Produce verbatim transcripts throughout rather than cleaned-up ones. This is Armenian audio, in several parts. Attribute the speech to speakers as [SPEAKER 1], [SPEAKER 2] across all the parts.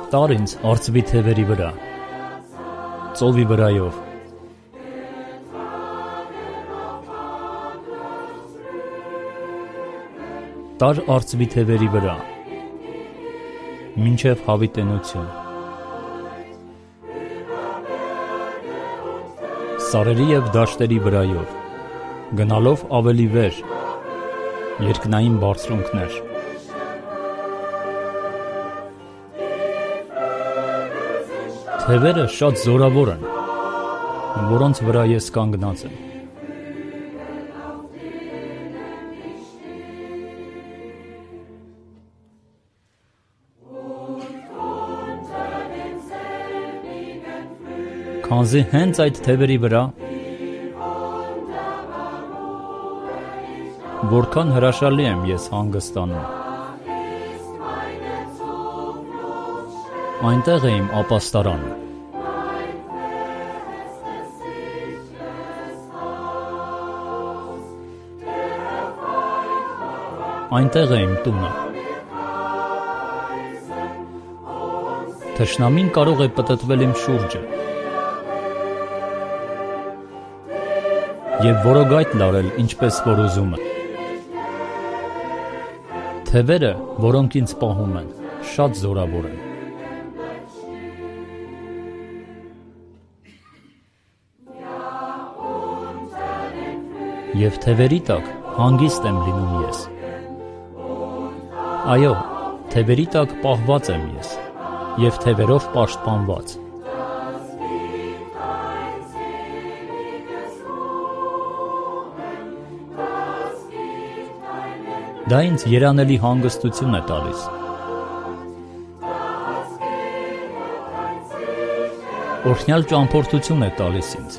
[SPEAKER 1] Տար ինձ արծվի թևերի վրա, ծովի վրայով, տար արծվի թևերի վրա, մինչև հավիտենություն, սարերի և դաշտերի վրայով, գնալով ավելի վեր, երկնային բարձրունքներ, թևերը շատ զորավոր են, որոնց վրա ես կանգնած եմ։ Քանզի հենց այդ թևերի վրա, որքան հրաշալի եմ ես հանգստանում, այնտեղ է իմ ապաստարանը, այնտեղ է իմ տունը, թշնամին կարող է պտտվել իմ շուրջը և որոգայթ լարել ինչպես որ ուզում է, թևերը, որոնք ինձ պահում են, շատ զորավոր են, և թևերի տակ հանգիստ եմ լինում ես, այո, թևերի տակ պահված եմ ես և թևերով պաշտպանված, դա ինձ երանելի հանգստություն է տալիս, օրհնյալ ճամփորդություն է տալիս ինձ,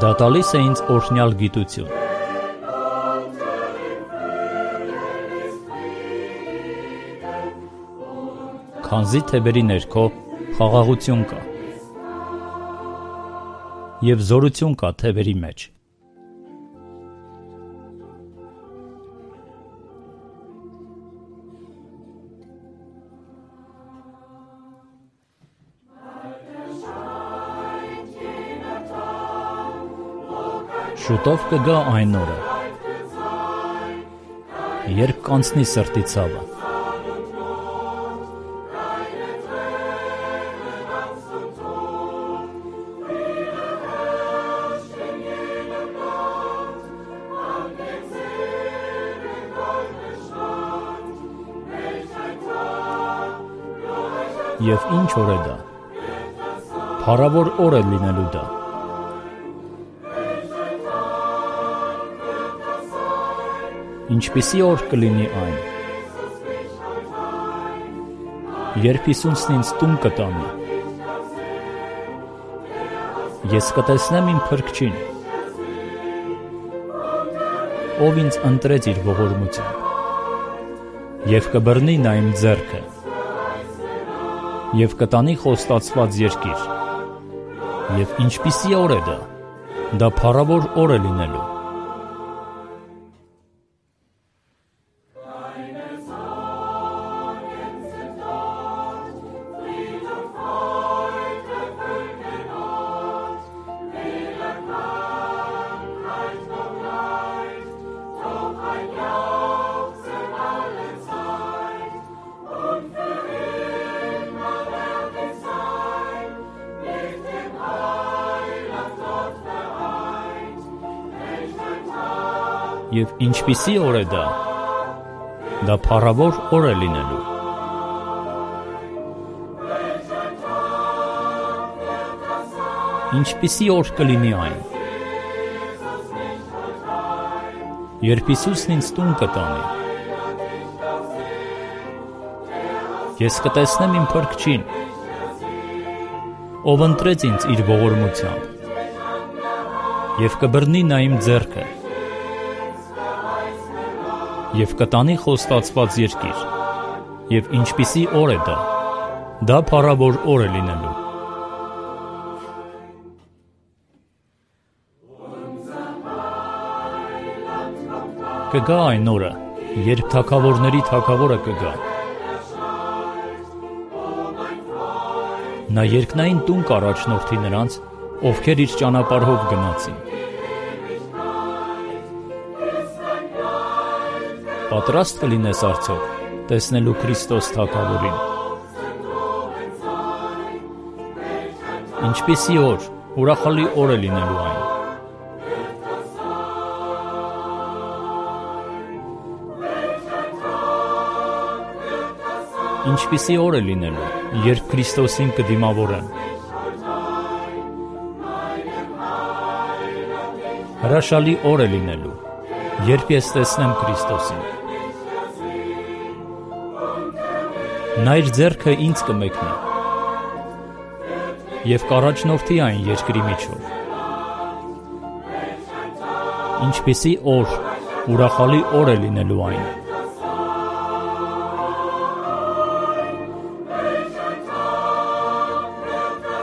[SPEAKER 1] դա տալիս է ինձ օրհնյալ գիտություն, քանզի թևերի ներքո խաղաղություն կա և զորություն կա թևերի մեջ, շուտով կգա այն օրը, երբ կանցնի սրտի ցավը, և ինչ օր է դա, փառավոր օր է լինելու դա, ինչպիսի օր կլինի այն, երբ Հիսուսն ինձ տուն կտանի, ես կտեսնեմ իմ Փրկչին, ով ինձ ընտրեց իր ողորմությամբ, և կբռնի նա իմ ձեռքը, և կտանի խոստացված երկիր, և ինչպիսի օր է դա, դա փառավոր օր է լինելու, և ինչպիսի օր է դա, դա փառավոր օր է լինելու, ինչպիսի օր կլինի այն, երբ Հիսուսն ինձ տուն կտանի, ես կտեսնեմ իմ Փրկչին, ով ընտրեց ինձ իր ողորմությամբ, և կբռնի նա իմ ձեռքը, և կտանի խոստացված երկիր, և ինչպիսի օր է դա, դա փառավոր օր է լինելու, կգա այն օրը, երբ թագավորների թագավորը կգա։ Նա երկնային տուն կառաջնորդի նրանց, ովքեր իր ճանապարհով գնացին։ Պատրաստ կլինես արդյոք տեսնելու Քրիստոս թագավորին։ Ինչպիսի օր, ուրախալի օր է լինելու այն։ Ինչպիսի օր է լինելու, երբ Քրիստոսին կդիմավորեմ։ Հրաշալի օր է լինելու, երբ ես տեսնեմ Քրիստոսին։ Նա իր ձեռքը ինձ կմեկնի և կառաջնորդի այն երկրի միջով։ Ինչպիսի օր, ուրախալի օր է լինելու այն։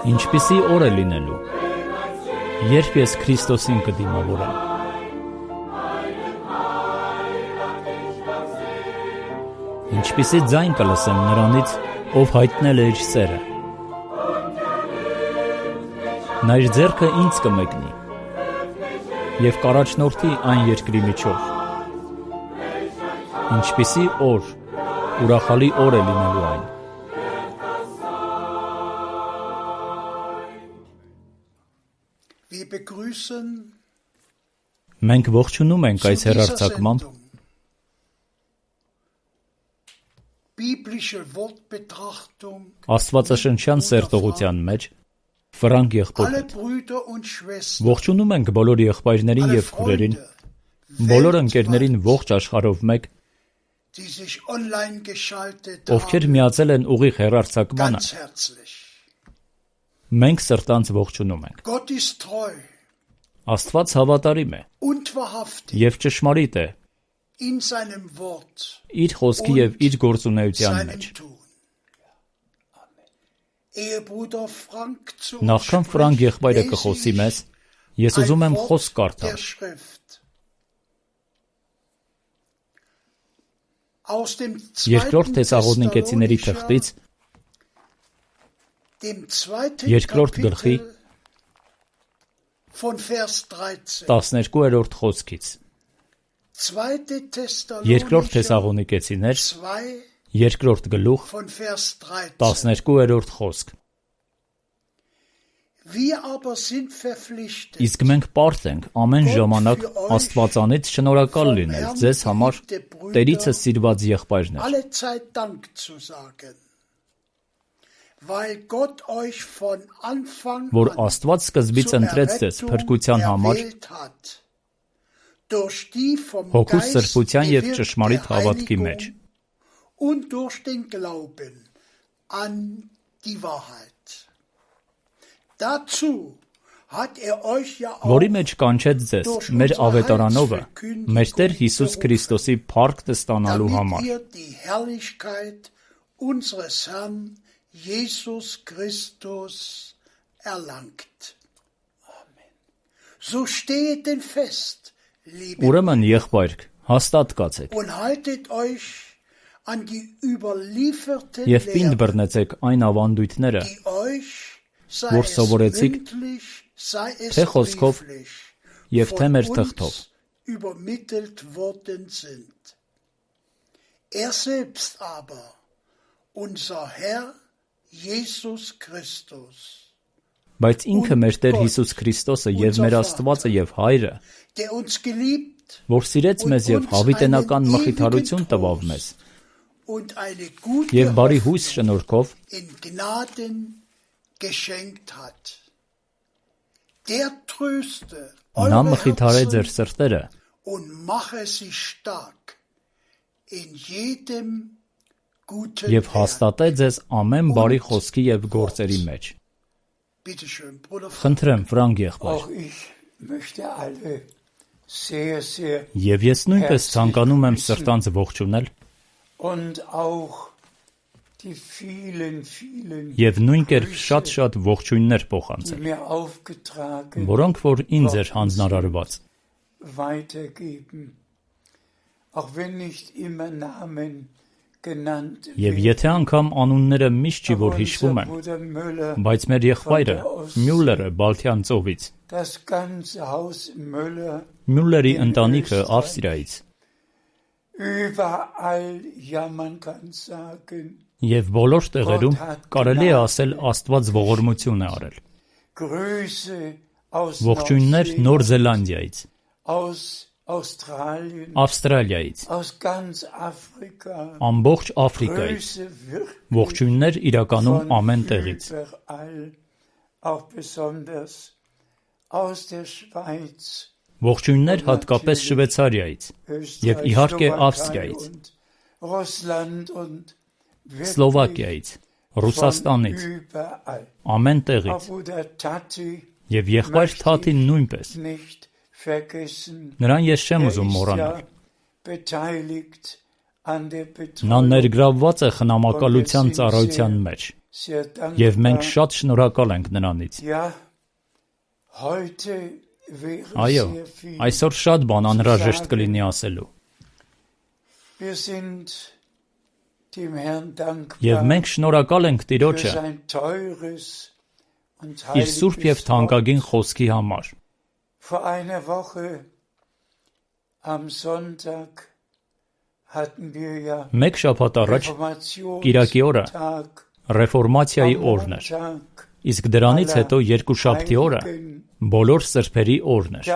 [SPEAKER 1] Ինչպիսի օր է լինելու, երբ ես Քրիստոսին կդիմավորեմ։ Ինչպիսի ձայն կլսեմ նրանից, ով հայտնել է իր սերը։ Նա իր ձեռքը ինձ կմեկնի և կառաջնորդի այն երկրի միջով։ Ինչպիսի օր, ուրախալի օր է լինելու այն։ Մենք ողջունում ենք այս հեռարձակմամբ աստվածաշնչյան սերտողության մեջ Ֆրանկ եղբորը։ Ողջունում ենք բոլոր եղբայրներին և քուրերին, բոլոր ընկերներին ողջ աշխարհով մեկ, ովքեր միացել են ուղիղ հեռարձակմանը։ Մենք սրտանց ողջունում ենք։ Աստված հավատարիմ է և ճշմարիտ է իր խոսքի և իր գործունեության մեջ։ Նախքան Ֆրանկ եղբայրը կխոսի մեզ, ես ուզում եմ խոսք կարդալ։ Երկրորդ Թեսաղոնիկեցիների թղթից երկրորդ գլխի տասներկուերորդ խոսքից։ Երկրորդ Թեսաղոնիկեցիներ, երկրորդ գլուխ, տասներկուերորդ խոսք։ Իսկ մենք պարտ ենք ամեն ժամանակ Աստվածանից շնորհակալ լինել ձեզ համար, Տերիցս սիրված եղբայրներ, որ Աստված սկզբից ընտրեց ձեզ փրկության համար, Հոգու սրբության և ճշմարիտ հավատքի մեջ, որի մեջ կանչեց ձեզ մեր ավետարանովը, մեր Տեր Հիսուս Քրիստոսի փառքն ստանալու համար։
[SPEAKER 2] Jesus Christus erlangt. So steht denn fest, liebe
[SPEAKER 1] Ուրեմն եղբայրք, հաստատ կացեք և պինդ բռնեցեք այն ավանդույթները, որ սովորեցիք թե խոսքով և թե մեր թղթով։
[SPEAKER 2] Er selbst aber, unser Herr Jesus Christus,
[SPEAKER 1] Բայց ինքը մեր Տեր Հիսուս Քրիստոսը և մեր Աստվածը և Հայրը, որ սիրեց մեզ և հավիտենական մխիթարություն տվավ մեզ, և բարի հույս շնորհքով նա մխիթարե ձեր սրտերը և հաստատե ձեզ ամեն բարի խոսքի և գործերի մեջ։ Խնդրեմ, Ֆրանկ եղբայր։ Եվ ես նույնպես ցանկանում եմ սրտանց ողջունել և նույն կերպ շատ-շատ ողջույններ փոխանցել, որոնք որ ինձ էր հանձնարարված։ Եվ եթե անգամ անունները միշտ չի որ հիշվում են, բայց մեր եղբայրը Մյուլլերը Բալթյան ծովից, Մյուլլերի ընտանիքը Ավստրիայից, եւ բոլոր տեղերում կարելի է ասել Աստված ողորմություն է արել։ Ողջույններ Նոր Զելանդիայից, Ավստրալիայից, ամբողջ Աֆրիկայից, ողջույններ իրականում ամեն տեղից, ողջույններ հատկապես Շվեյցարիայից եւ իհարկե Ավստրիայից, Սլովակիայից, Ռուսաստանից, ամեն տեղից, եւ եղբայր Թաթին նույնպես։ Նրան ես չեմ ուզում մոռանալ։ Նա ներգրավված է խնամակալության ծառայության մեջ, եւ մենք շատ շնորհակալ ենք նրանից։ Այո, այսօր շատ բան անհրաժեշտ կլինի ասելու։ Եվ մենք շնորհակալ ենք Տիրոջը իր սուրբ եւ թանկագին խոսքի համար։ Մեկ շաբաթ առաջ Կիրակի օրը Ռեֆորմացիայի օրն էր, իսկ դրանից հետո երկուշաբթի օրը բոլոր սրբերի օրն էր։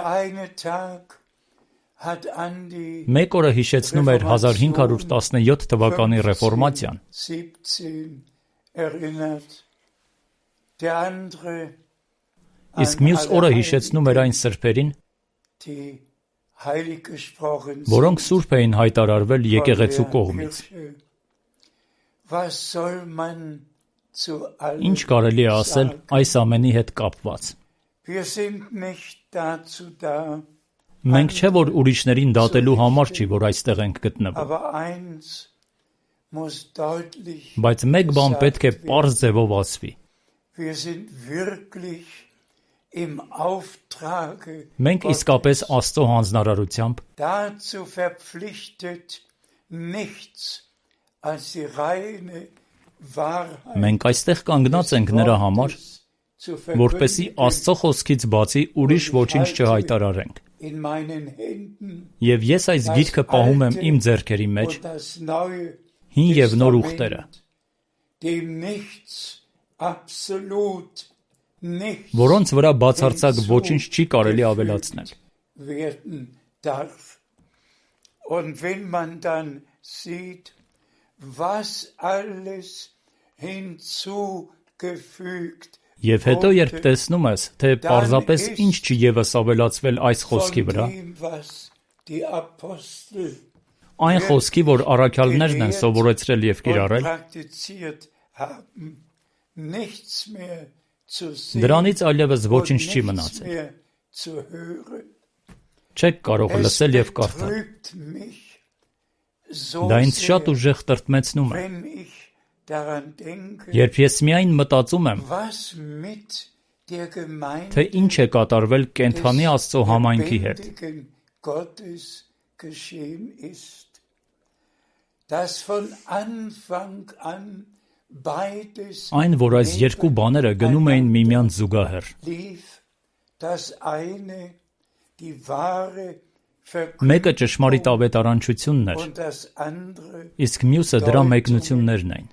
[SPEAKER 1] Մեկ օրը հիշեցնում էր հազար հինգ հարյուր տասնյոթ թվականի Ռեֆորմացիան, իսկ մյուս օրը հիշեցնում էր այն սրբերին, որոնք սուրբ էին հայտարարվել եկեղեցու կողմից։ Ինչ կարելի է ասել այս ամենի հետ կապված։ Մենք չէ որ ուրիշներին դատելու համար չի, որ այստեղ ենք գտնվում, բայց մեկ բան պետք է պարզ ձևով ասվի։ Մենք իսկապես Աստծո հանձնարարությամբ մենք այստեղ կանգնած ենք նրա համար, որպեսզի Աստծո խոսքից բացի ուրիշ ոչինչ չհայտարարենք։ Եվ ես այս գիրքը պահում եմ իմ ձեռքերի մեջ, հին եւ նոր ուխտերը, որոնց վրա բացարձակ ոչինչ չի կարելի ավելացնել։ Եւ հետո երբ տեսնում ես, թե պարզապես ինչ չի ևս ավելացվել այս խոսքի վրա, այն խոսքի, որ առաքյալներն են սովորեցրել եւ կիրառել, դրանից այլևս ոչինչ չի մնացել։ Չեք կարող լսել եւ կարդալ։ Դա ինձ շատ ուժեղ տրտմեցնում է, երբ ես միայն մտածում եմ, թե ինչ է կատարվել կենդանի Աստծո համայնքի հետ։ Այն, որ այս երկու բաները գնում էին միմյանց զուգահեռ։ Մեկը ճշմարիտ ավետարանչությունն էր, իսկ մյուսը դրա մեկնություններն էին։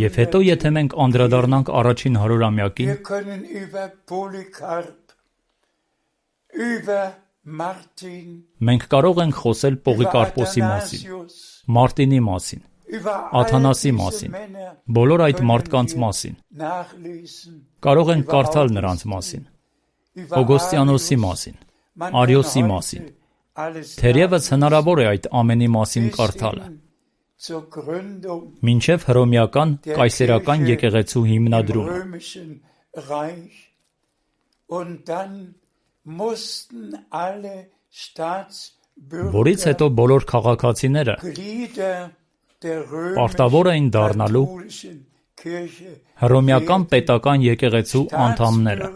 [SPEAKER 1] Եվ հետո եթե մենք անդրադառնանք առաջին հարյուրամյակին, մենք կարող ենք խոսել Պողիկարպոսի մասին, Մարտինի մասին, Աթանասի մասին, բոլոր այդ մարդկանց մասին։ Կարող ենք կարդալ նրանց մասին, Օգոստիանոսի մասին, Արիոսի մասին։ Թերևս հնարավոր է այդ ամենի մասին կարդալը, մինչև հռոմեական կայսերական եկեղեցու հիմնադրումը։ Որից հետո բոլոր քաղաքացիները պարտավոր էին դառնալու հռոմեական պետական եկեղեցու անդամները։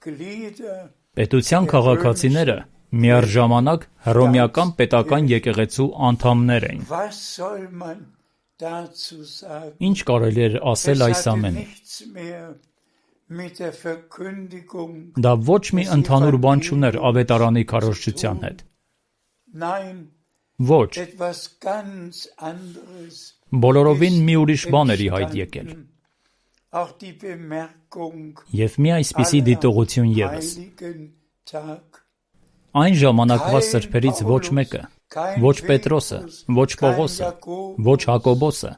[SPEAKER 1] Պետության քաղաքացիները միառժամանակ հռոմեական պետական եկեղեցու անդամներ էին։ Ինչ կարելի էր ասել այս ամենի։ Դա ոչ մի ընդհանուր բան չուներ ավետարանի քարոզչության հետ։ Ոչ։ Բոլորովին մի ուրիշ բան էր ի հայտ եկել։ Եվ մի այսպիսի դիտողություն ևս։ Այն ժամանակվա սրբերից ոչ մեկը, ոչ Պետրոսը, ոչ Պողոսը, ոչ Հակոբոսը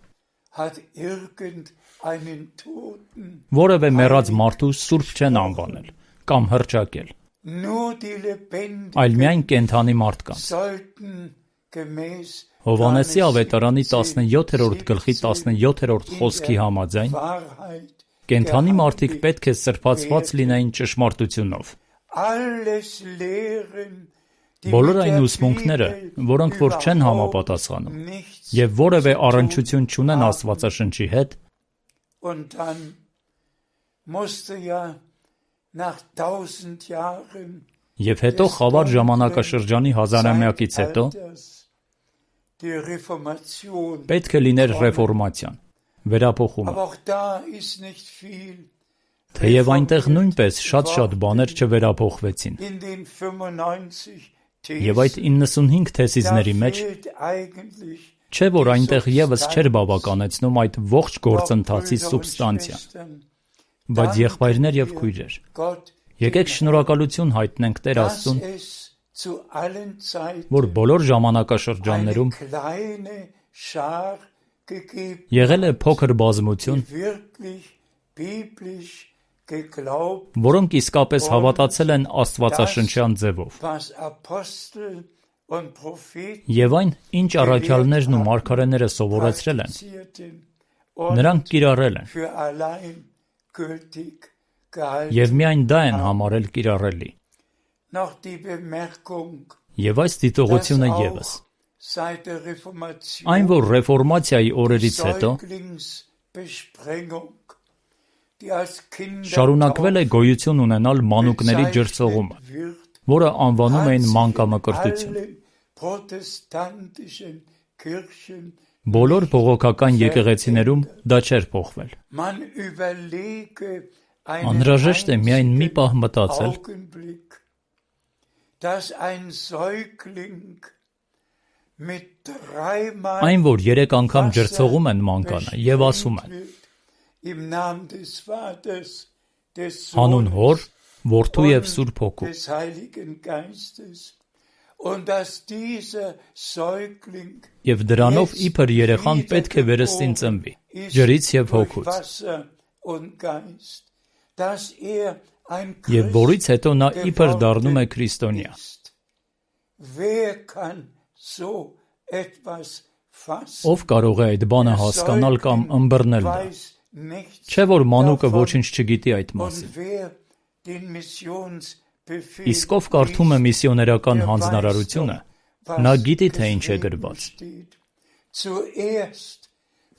[SPEAKER 1] որևէ մեռած մարդու սուրբ չեն անվանել կամ հռչակել, այլ միայն կենդանի մարդկանց։ Հովհաննեսի ավետարանի տասնյոթերորդ գլխի տասնյոթերորդ խոսքի համաձայն կենդանի մարդիկ պետք է սրբացված լինեին ճշմարտությունով։ Բոլոր այն ուսմունքները, որոնք որ չեն համապատասխանում եւ որևէ առնչություն չունեն Աստվածաշնչի հետ, եւ հետո խավար ժամանակաշրջանի հազարամյակից հետո պետք է լիներ ռեֆորմացիան, վերափոխումը։ Թեև այնտեղ նույնպես շատ-շատ բաներ չվերափոխվեցին։ Եվ այդ իննսունհինգ թեսիզների մեջ չէ որ այնտեղ եւս չէր բավականեցնում այդ ողջ գործընթացի սուբստանցիան։ Բայց եղբայրներ եւ քույրեր, եկեք շնորհակալություն հայտնենք Տեր Աստծուն, որ բոլոր ժամանակաշրջաններում եղել է փոքր բազմություն, որոնք իսկապես հավատացել են Աստվածաշնչյան ձևով։ Եվ այն, ինչ առաքյալներն ու մարգարեները սովորեցրել են, նրանք կիրառել են։ Եվ միայն դա են համարել կիրառելի։ Եվ այս դիտողությունը ևս։ Այն, որ ռեֆորմացիայի օրերից հետո շարունակվել է գոյություն ունենալ մանուկների ջրցողումը, որը անվանում էին մանկամկրտություն։ Բոլոր բողոքական եկեղեցիներում դա չէր փոխվել։ Անհրաժեշտ է միայն մի պահ մտածել, այն, որ երեք անգամ ջրցողում են մանկանը եւ ասում են. հանուն Հոր, Որդու եւ Սուրբ Հոգու։ Եվ դրանով իբր երեխան պետք է վերստին ծնվի, ջրից եւ հոգուց։ Եվ որից հետո նա իբր դառնում է քրիստոնյա։ Ով կարող է այդ բանը հասկանալ կամ ըմբռնել դա։ Չէ որ մանուկը ոչինչ չգիտի այդ մասին։ Իսկ ով կարդում է միսիոներական հանձնարարությունը, նա գիտի թե ինչ է գրված։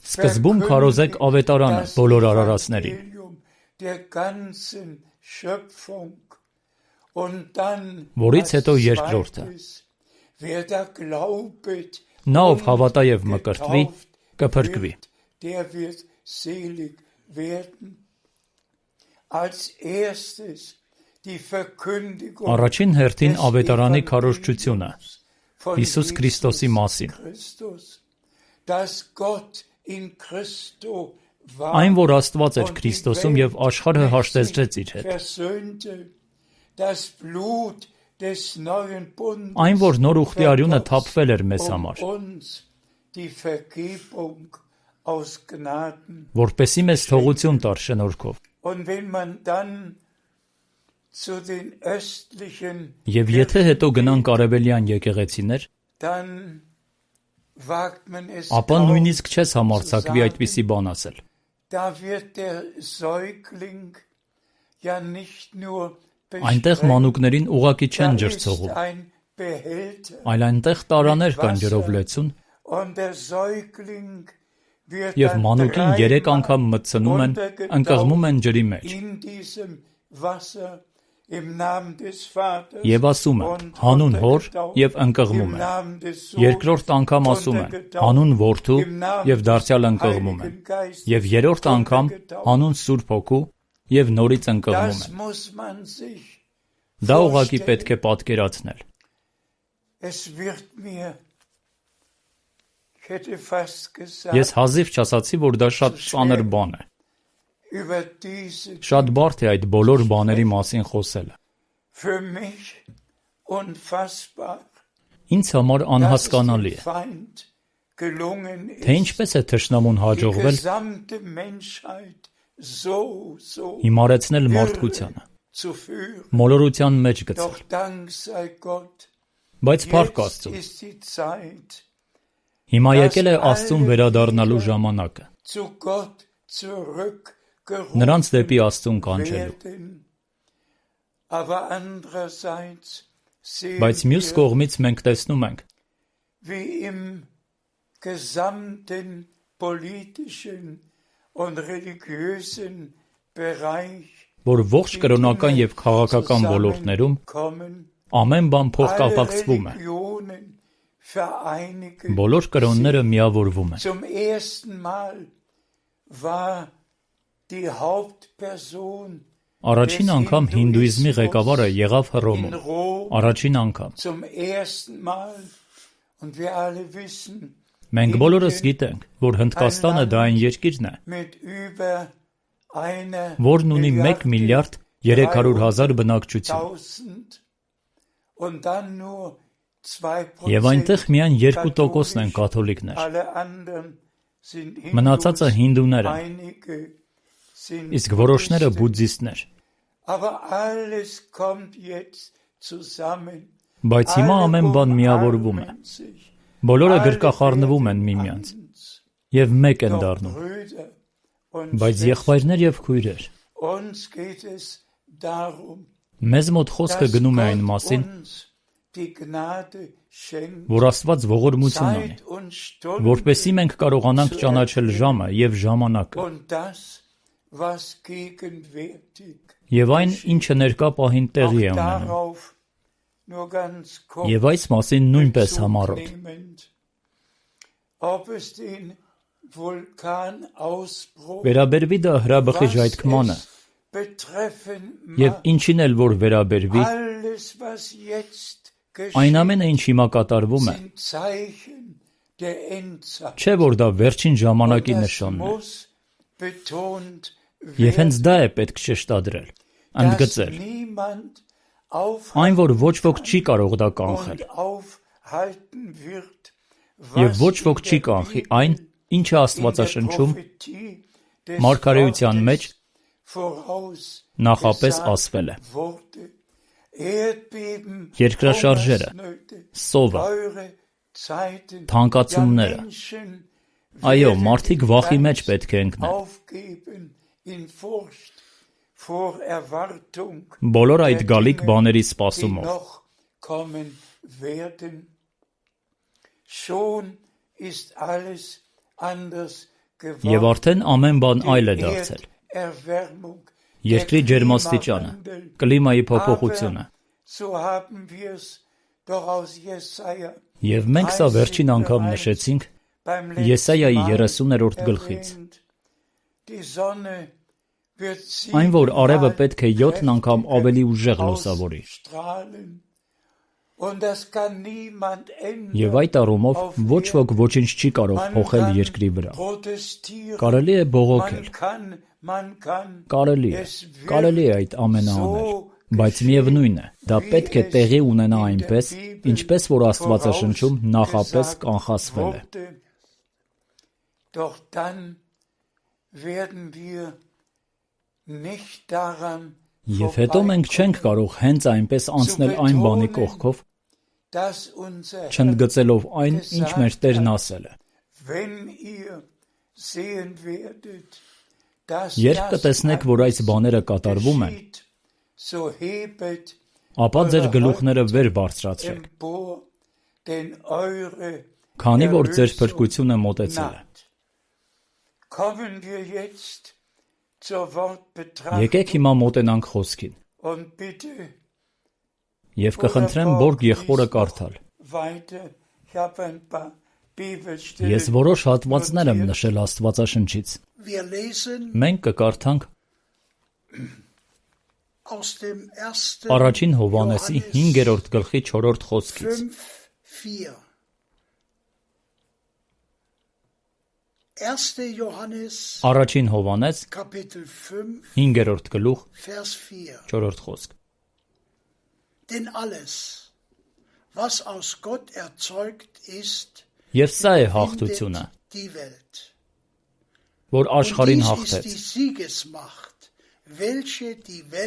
[SPEAKER 1] Սկզբում քարոզեք ավետարանը բոլոր արարածներին, որից հետո երկրորդը։ Նա ով հավատա եւ մկրտվի, կփրկվի։ Առաջին հերթին ավետարանի քարոզչությունը Հիսուս Քրիստոսի մասին։ Այն, որ Աստված էր Քրիստոսում եւ աշխարհը հաշտեցրեց իր հետ։ Այն, որ նոր ուխտի արյունը թափվել էր մեզ համար, որպեսզի մեզ թողություն տար շնորհքով։ Եվ եթե հետո գնանք արևելյան եկեղեցիներ, ապա նույնիսկ չես համարձակվի այդպիսի բան ասել։ Այնտեղ մանուկներին ուղղակի չեն ջրցողում, այլ այնտեղ տարաներ կան ջրով լեցուն, եւ մանուկին երեք անգամ մտցնում են, ընկղմում են ջրի մեջ։ Եվ ասում են հանուն հոր եւ ընկղմում են։ Երկրորդ անգամ ասում են հանուն որդու եւ դարձյալ ընկղմում են։ Եվ երրորդ անգամ հանուն Սուրբ Հոգու եւ նորից ընկղմում են։ Դա ուղղակի պետք է պատկերացնել։ Ես հազիվ չասացի, որ դա շատ ծանր բան է։ Շատ բարդ է այդ բոլոր բաների մասին խոսելը։ Ինձ համար անհասկանալի է, թե ինչպես է թշնամուն հաջողվել հիմարեցնել մարդկությանը, մոլորության մեջ գցել։ Բայց փառք Աստծուն, հիմա եկել է Աստծուն վերադառնալու ժամանակը, նրանց դեպի Աստծուն կանչելու։ Բայց մյուս կողմից մենք տեսնում ենք, որ ողջ կրոնական եւ քաղաքական ոլորտներում ամեն բան փոխկապակցվում է։ Բոլոր կրոնները միավորվում են։ Առաջին անգամ հինդուիզմի ղեկավարը եղավ Հռոմում։ Առաջին անգամ։ Մենք բոլորս գիտենք, որ Հնդկաստանը դա այն երկիրն է, որն ունի մեկ միլիարդ երեք հարյուր հազար բնակչություն։ Եվ այնտեղ միայն երկու տոկոսն են կաթոլիկներ։ Մնացածը հինդուներ են, իսկ որոշները բուդդիստներ։ Բայց հիմա ամեն բան միավորվում է։ Բոլորը գրկախառնվում են միմյանց եւ մեկ են դառնում։ Բայց եղբայրներ եւ քույրեր, մեզ մոտ խոսքը գնում է այն մասին, որ Աստված ողորմություն ունի, որպեսզի մենք կարողանանք ճանաչել ժամը եւ ժամանակը, եւ այն, ինչը ներկա պահին տեղի է ունենում, եւ այս մասին նույնպես համառոտ։ Վերաբերվի դա հրաբխի ժայթքմանը, եւ ինչին էլ որ վերաբերվի, այն ամենը, ինչ հիմա կատարվում է, չէ որ դա վերջին ժամանակի նշանն է։ Եվ հենց դա է պետք շեշտադրել, ընդգծել, այն, որ ոչ ոք չի կարող դա կանխել, եւ ոչ ոք չի կանխի այն, ինչը Աստվածաշնչում մարգարեության մեջ նախապես ասվել է։ Երկրաշարժերը, սովը, թանկացումները, այո, մարդիկ վախի մեջ պետք է ընկնեն։ Բոլոր այդ գալիք բաների սպասումով։ Եվ արդեն ամեն բան այլ է դարձել։ Երկրի ջերմաստիճանը, կլիմայի փոփոխությունը։ Եվ մենք սա վերջին անգամ նշեցինք Եսայայի երեսուներորդ գլխից։ Այն, որ արևը պետք է յոթն անգամ ավելի ուժեղ լուսավորի։ Եվ այդ առումով ոչ ոք ոչինչ չի կարող փոխել երկրի վրա։ Կարելի է բողոքել։ Կարելի է, կարելի է այդ ամենը անել, բայց միևնույն է, դա պետք է տեղի ունենա այնպես, ինչպես որ Աստվածաշնչում նախապես կանխատեսվել է։ Եվ հետո մենք չենք կարող հենց այնպես անցնել այն բանի կողքով, չընդգծելով այն, ինչ մեր Տերն ասել է։ Երբ կտեսնեք, որ այս բաները կատարվում են, ապա ձեր գլուխները վեր բարձրացրեք, քանի որ ձեր փրկությունը մոտեցել է։ Եկեք հիմա մոտենանք խոսքին։ Եվ կխնդրեմ Բորգ եղբորը կարդալ։ Ես որոշ հատվածներ եմ նշել Աստվածաշնչից։ Մենք կկարդանք Առաջին Հովհաննեսի հինգերորդ գլխի չորրորդ խոսքից։ Առաջին Հովհաննես հինգերորդ գլուխ չորրորդ խոսք։
[SPEAKER 2] Denn alles, was aus Gott erzeugt ist,
[SPEAKER 1] Եվ սա է հաղթությունը, որ աշխարհին հաղթեց,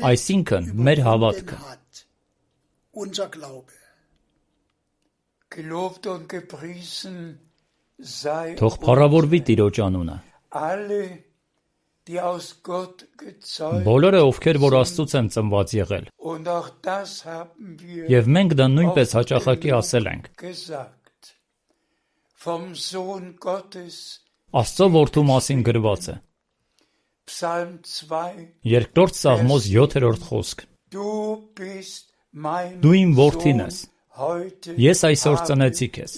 [SPEAKER 1] այսինքն մեր հավատքը։ Թող փառավորվի Տիրոջ անունը։ Բոլորը, ովքեր որ Աստծուց են ծնված եղել, և մենք դա նույնպես հաճախակի ասել ենք։ Աստծո որդու մասին գրված է։ Երկրորդ Սաղմոս յոթերորդ խոսք։ Դու իմ որդին ես, ես այսօր ծնեցի քեզ։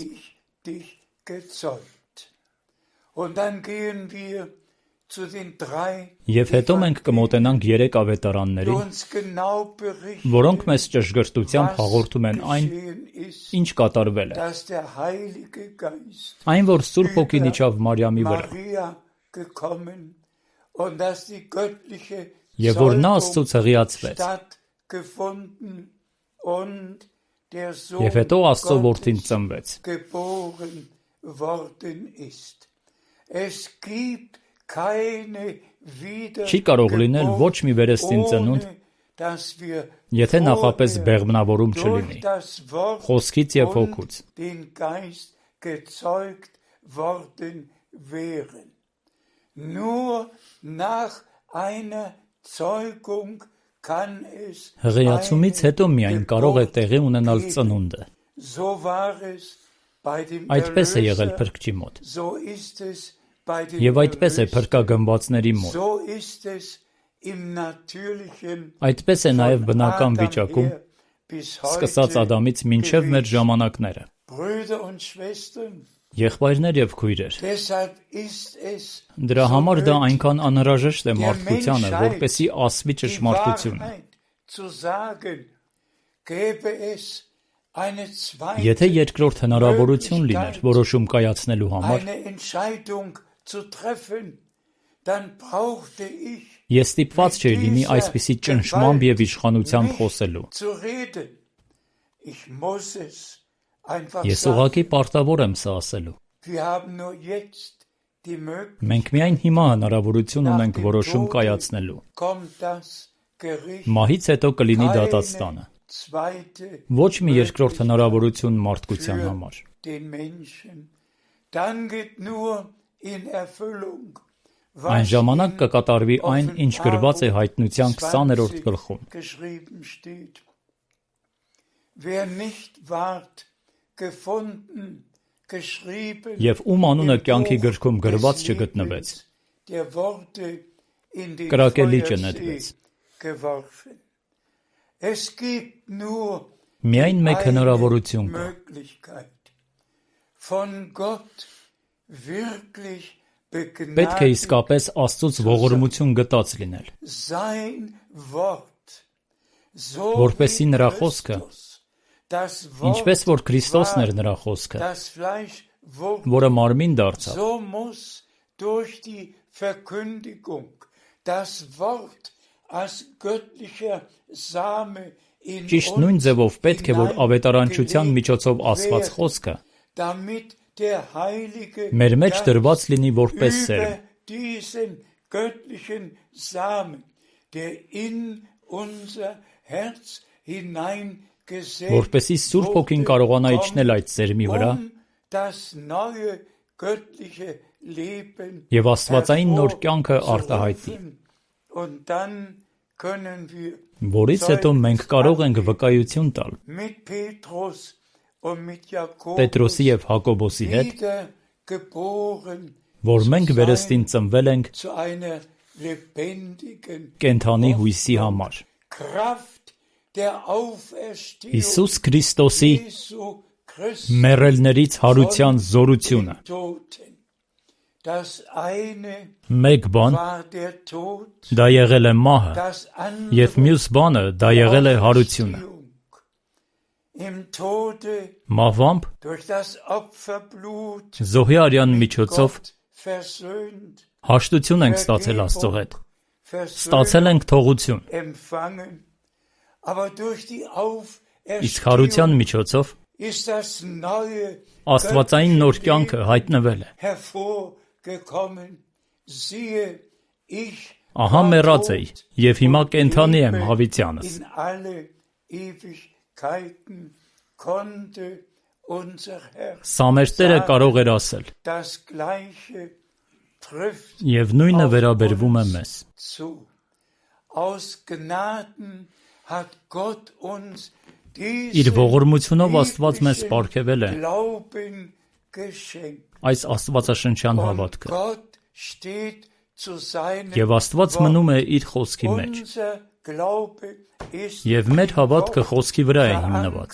[SPEAKER 1] Եվ հետո մենք կմոտենանք երեք ավետարաններին, որոնք մեզ ճշգրտությամբ հաղորդում են այն, ինչ կատարվել է։ Այն, որ Սուրբ Հոգին իջավ Մարիամի վրա, և որ նա Աստծուց հղիացվեց, և հետո Աստծո որդին ծնվեց։ Չի կարող լինել ոչ մի վերստին ծնունդ, եթե նախապես բեղմնավորում չլինի, խոսքից և հոգուց։ Հղիացումից հետո միայն կարող է տեղի ունենալ ծնունդը։ Այդպես է եղել Փրկչի մոտ։ Եվ այդպես է փրկագնվածների մոտ։ Այդպես է նաև բնական վիճակում, սկսած Ադամից մինչև մեր ժամանակները։ Եղբայրներ և քույրեր, դրա համար դա այնքան անհրաժեշտ է մարդկությանը, որպեսզի ասվի ճշմարտությունը։ Եթե երկրորդ հնարավորություն լիներ որոշում կայացնելու համար, ես ստիպված չէի լինի այսպիսի ճնշմամբ և իշխանությամբ խոսելու։ Ես ուղղակի պարտավոր եմ սա ասելու։ Մենք միայն հիմա հնարավորություն ունենք որոշում կայացնելու։ Մահից հետո կլինի դատաստանը։ Ոչ մի երկրորդ հնարավորություն մարդկության համար։ Այն ժամանակ կկատարվի այն, ինչ գրված է Հայտնության քսաներորդ գլխում։ Եվ ում անունը կյանքի գրքում գրված չգտնվեց, կրակելիճը նետվեց։ Միայն մեկ հնարավորություն կա։ Պետք է իսկապես Աստծուց ողորմություն գտած լինել, որպեսզի նրա խոսքը, ինչպես որ Քրիստոսն էր նրա խոսքը, որը մարմին դարձավ, ճիշտ նույն ձևով պետք է, որ ավետարանչության միջոցով ասված խոսքը մեր մեջ դրված լինի որպես սերմ, որպեսզի Սուրբ Հոգին կարողանա իջնել այդ սերմի վրա և աստվածային նոր կյանքը արտահայտի, որից հետո մենք կարող ենք վկայություն տալ Պետրոսի և Հակոբոսի հետ, որ մենք վերստին ծնվել ենք կենդանի հույսի համար։ Հիսուս Քրիստոսի մեռելներից հարության զորությունը։ Մեկ բան դա եղել է մահը, և մյուս բանը դա եղել է հարությունը։ Մահվամբ զոհի արյան միջոցով հաշտություն ենք ստացել Աստծո հետ, ստացել ենք թողություն, իսկ հարության միջոցով աստվածային նոր կյանքը հայտնվել է։ Ահա մեռած էի, և հիմա կենդանի եմ հավիտյանս։ Սա մեր Տերը կարող էր ասել, և նույնը վերաբերվում է մեզ։ Իր ողորմությունով Աստված մեզ պարգևել է այս աստվածաշնչյան հավատքը, և Աստված մնում է իր խոսքի մեջ, և մեր հավատքը խոսքի վրա է հիմնված։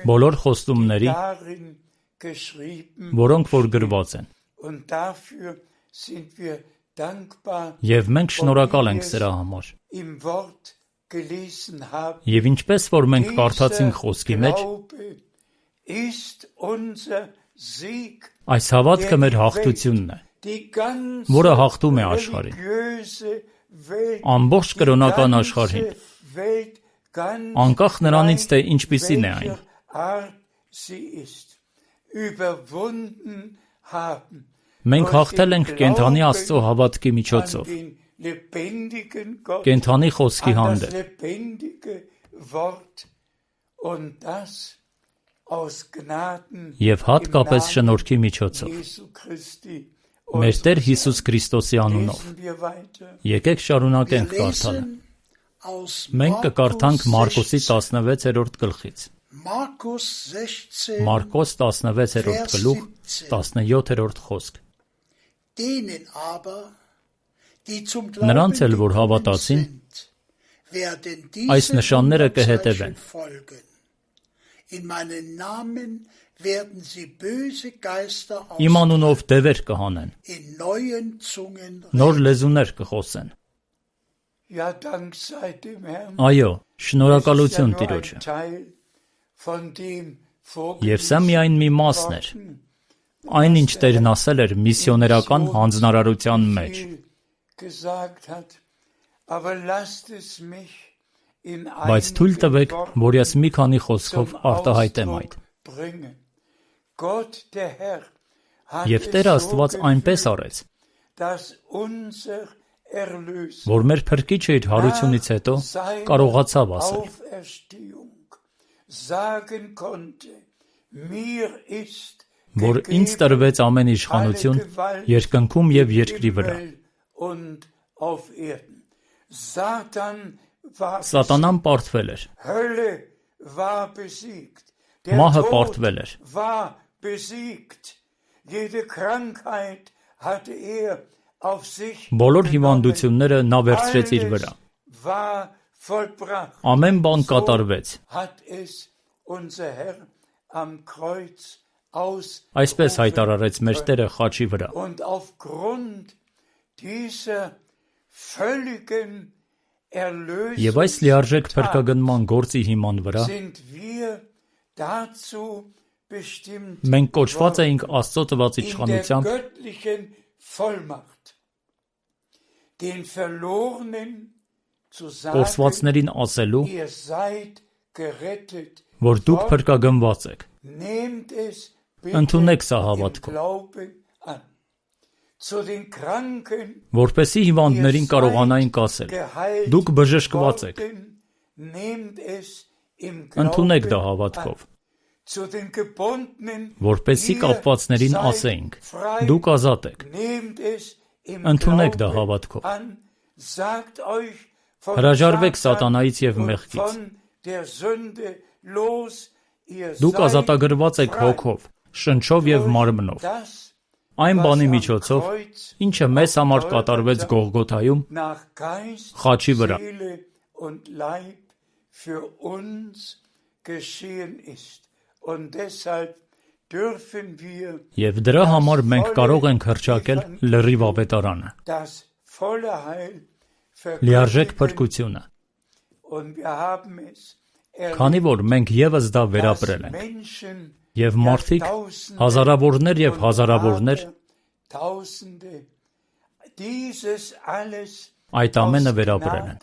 [SPEAKER 1] Բոլոր խոստումների, որոնք որ գրված են, և մենք շնորհակալ ենք սրա համար։ Եվ ինչպես որ մենք կարդացինք խոսքի մեջ, այս հավատքը մեր հաղթությունն է, որը հաղթում է աշխարհին, ամբողջ կրոնական աշխարհին, անկախ նրանից, թե ինչպիսին է այն։ Մենք հաղթել ենք կենդանի Աստծո հավատքի միջոցով, կենդանի խոսքի հանդեպ, և հատկապես շնորհքի միջոցով, մեր Տեր Հիսուս Քրիստոսի անունով։ Եկեք շարունակենք կարդալը։ Մենք կկարդանք Մարկոսի տասնվեցերորդ գլխից։ Մարկոս տասնվեցերորդ գլուխ, տասնյոթերորդ խոսք։ Նրանց էլ, որ հավատացին, այս նշանները կհետևեն։ Իմ անունով դևեր կհանեն, նոր լեզուներ կխոսեն։ Այո, շնորհակալություն Տիրոջը։ Եվ սա միայն մի մասն էր, այն ինչ Տերն ասել էր միսիոներական հանձնարարության մեջ։ Բայց թույլ տվեք, որ ես մի քանի խոսքով արտահայտեմ այդ։ Եվ Տեր Աստված այնպես արեց, որ մեր Փրկիչը իր հարությունից հետո կարողացավ ասել. որ ինձ տրվեց ամեն իշխանություն երկնքում և երկրի վրա։ Սատանան պարտվել էր, մահը պարտվել էր, բոլոր հիվանդությունները նա վերցրեց իր վրա, ամեն բան կատարվեց։ Այսպես հայտարարեց մեր Տերը խաչի վրա։ Եվ այս լիարժեք փրկագնման գործի հիման վրա մենք կոչված էինք Աստծո տված իշխանությամբ կորսվածներին ասելու, որ դուք փրկագնված եք։ Ընդունեք սա հավատքով, որպեսզի հիվանդներին կարողանայինք ասել. դուք բժշկված եք։ Ընդունեք դա հավատքով, որպեսզի կապվածներին ասեինք. դուք ազատ եք։ Ընդունեք դա հավատքով։ Հրաժարվեք սատանայից և մեղքից։ Դուք ազատագրված եք հոգով, շնչով և մարմնով։ Այն բանի միջոցով, ինչը մեզ համար կատարվեց Գողգոթայում, խաչի վրա։ Եվ դրա համար մենք կարող ենք հռչակել լրիվ ավետարանը, լիարժեք փրկությունը, քանի որ մենք ևս դա վերապրել ենք, և մարդիկ, հազարավորներ և հազարավորներ, այդ ամենը վերապրել են։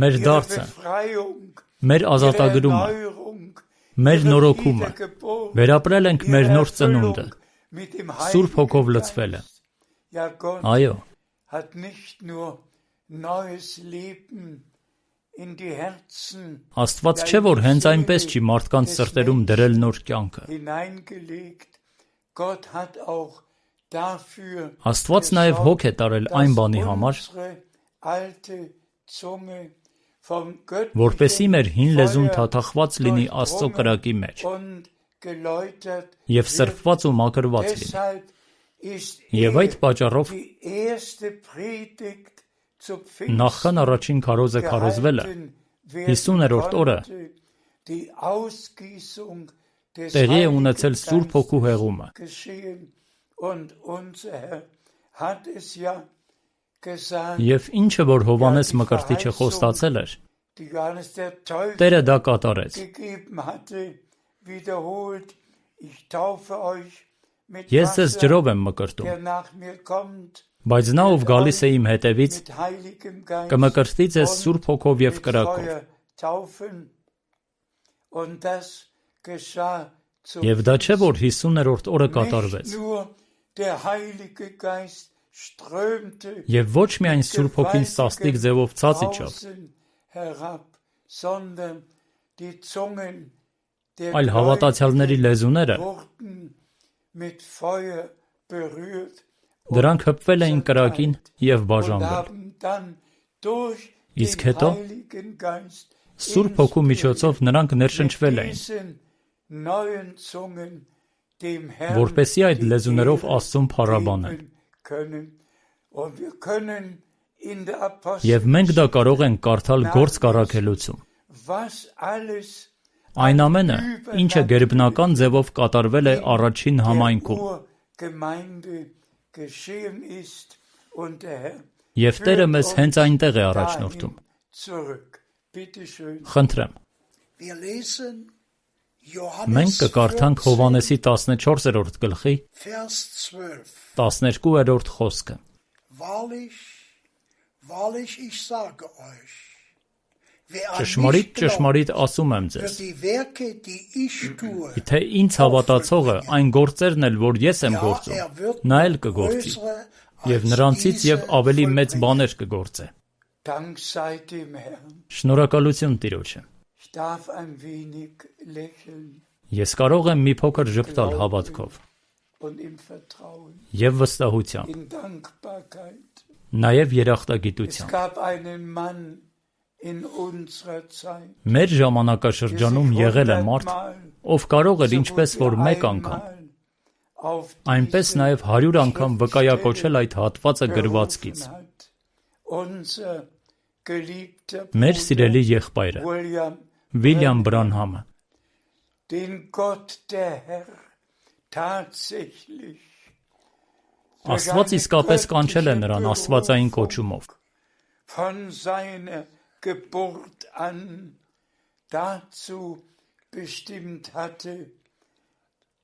[SPEAKER 1] Մեր դարձը, մեր ազատագրումը, մեր նորոգումը, վերապրել ենք մեր նոր ծնունդը, Սուրբ Հոգով լցվելը։ Այո, Աստված չէ, որ հենց այնպես չի մարդկանց սրտերում դրել նոր կյանքը։ Աստված նաև հոգ է տարել այն բանի համար, որպեսզի մեր հին լեզուն թաթախված լինի Աստծո կրակի մեջ և սրբված ու մաքրված լինի։ Եվ այդ պատճառով նախքան առաջին քարոզը քարոզվելը, հիսուներորդ օրը տեղի է ունեցել Սուրբ Հոգու հեղումը։ Եվ ինչը, որ Հովհաննես Մկրտիչը խոստացել էր, Տերը դա կատարեց։ Ես ձեզ ջրով եմ մկրտում, բայց նա, ով գալիս է իմ հետևից, կմկրտի ձեզ Սուրբ Հոգով և կրակով։ Եվ դա չէ, որ հիսուներորդ օրը կատարվեց։ Եվ ոչ միայն Սուրբ Հոգին սաստիկ ձևով ցած իջավ, այլ հավատացյալների լեզուները, դրանք հպվել էին կրակին և բաժանվել։ Իսկ հետո, Սուրբ Հոգու միջոցով նրանք ներշնչվել էին, որպեսզի այդ լեզուներով Աստծուն փառաբանեն։ Եվ մենք դա կարող ենք կարդալ Գործք առաքելոցում։ Այն ամենը, ինչը գերբնական ձևով կատարվել է առաջին համայնքում։ Եվ Տերը մեզ հենց այնտեղ է առաջնորդում։ Խնդրեմ։ Մենք կկարդանք Հովհաննեսի տասնչորսերորդ գլխի տասներկուերորդ խոսքը։ Ճշմարիտ, ճշմարիտ ասում եմ ձեզ, թե ինձ հավատացողը այն գործերն էլ, որ ես եմ գործում, նա էլ կգործի, և նրանցից և ավելի մեծ բաներ կգործե։ Շնորհակալություն Տիրոջը։ Ես կարող եմ մի փոքր ժպտալ հավատքով և վստահությամբ, նաև երախտագիտությամբ։ Մեր ժամանակաշրջանում եղել է մարդ, ով կարող էր ինչպես որ մեկ անգամ, այնպես նաև հարյուր անգամ վկայակոչել այդ հատվածը գրվածքից։ Մեր սիրելի եղբայրը, Վիլյամ Բրանհամը, Աստված իսկապես կանչել է նրան աստվածային կոչումով։
[SPEAKER 2] Geburt an dazu bestimmt hatte,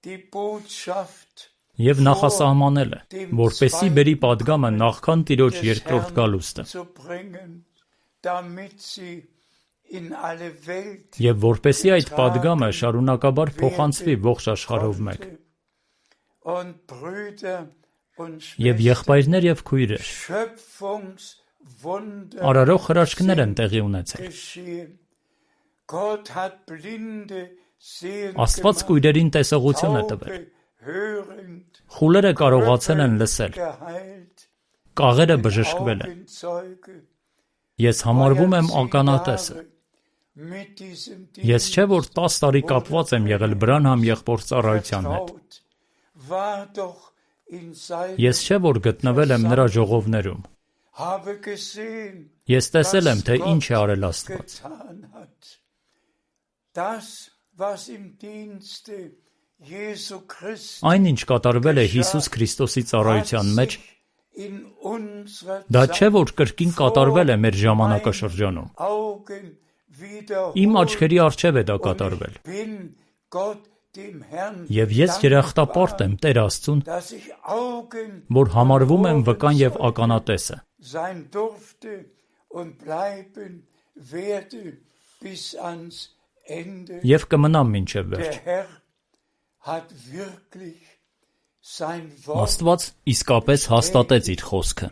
[SPEAKER 2] die Botschaft
[SPEAKER 1] և նախասահմանել է, որպեսզի բերի պատգամը նախքան Տիրոջ երկրորդ գալուստը, և որպեսզի այդ պատգամը շարունակաբար փոխանցվի ողջ աշխարհով մեկ։ Եվ եղբայրներ և քույրեր, արարող հրաշքներ են տեղի ունեցել։ Աստված կույրերին տեսողություն է տվել, խուլերը կարողացել են լսել, կաղերը բժշկվել են։ Ես համարվում եմ ականատեսը, Ես չէ որ տաս տարի կապված եմ եղել Բրանհամ եղբոր ծառայության հետ։ Ես չէ որ գտնվել եմ նրա ժողովներում։ Ես տեսել եմ, թե ինչ է արել Աստված։ Այն, ինչ կատարվել է Հիսուս Քրիստոսի ծառայության մեջ, դա չէ որ կրկին կատարվել է մեր ժամանակաշրջանում։ Իմ աչքերի առջև է դա կատարվել։ Եվ ես երախտապարտ եմ Տեր Աստծուն, որ համարվում եմ վկան եւ ականատեսը։ Եվ կմնամ մինչև վերջ։ Աստված իսկապես հաստատեց իր խոսքը։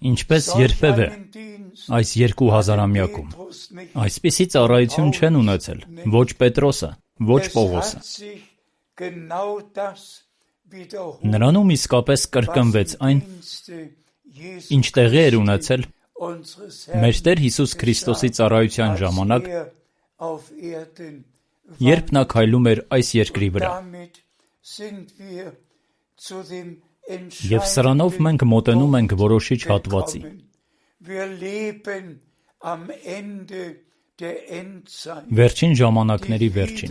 [SPEAKER 1] Ինչպես երբևէ այս երկու հազարամյակում այսպիսի ծառայություն չեն ունեցել ոչ Պետրոսը, ոչ Պողոսը։ Նրանում իսկապես կրկնվեց այն, ինչ տեղի էր ունեցել մեր Տեր Հիսուս Քրիստոսի ծառայության ժամանակ, երբ նա քայլում էր այս երկրի վրա։ Եվ սրանով մենք մոտենում ենք որոշիչ հատվածի։ Վերջին ժամանակների վերջին։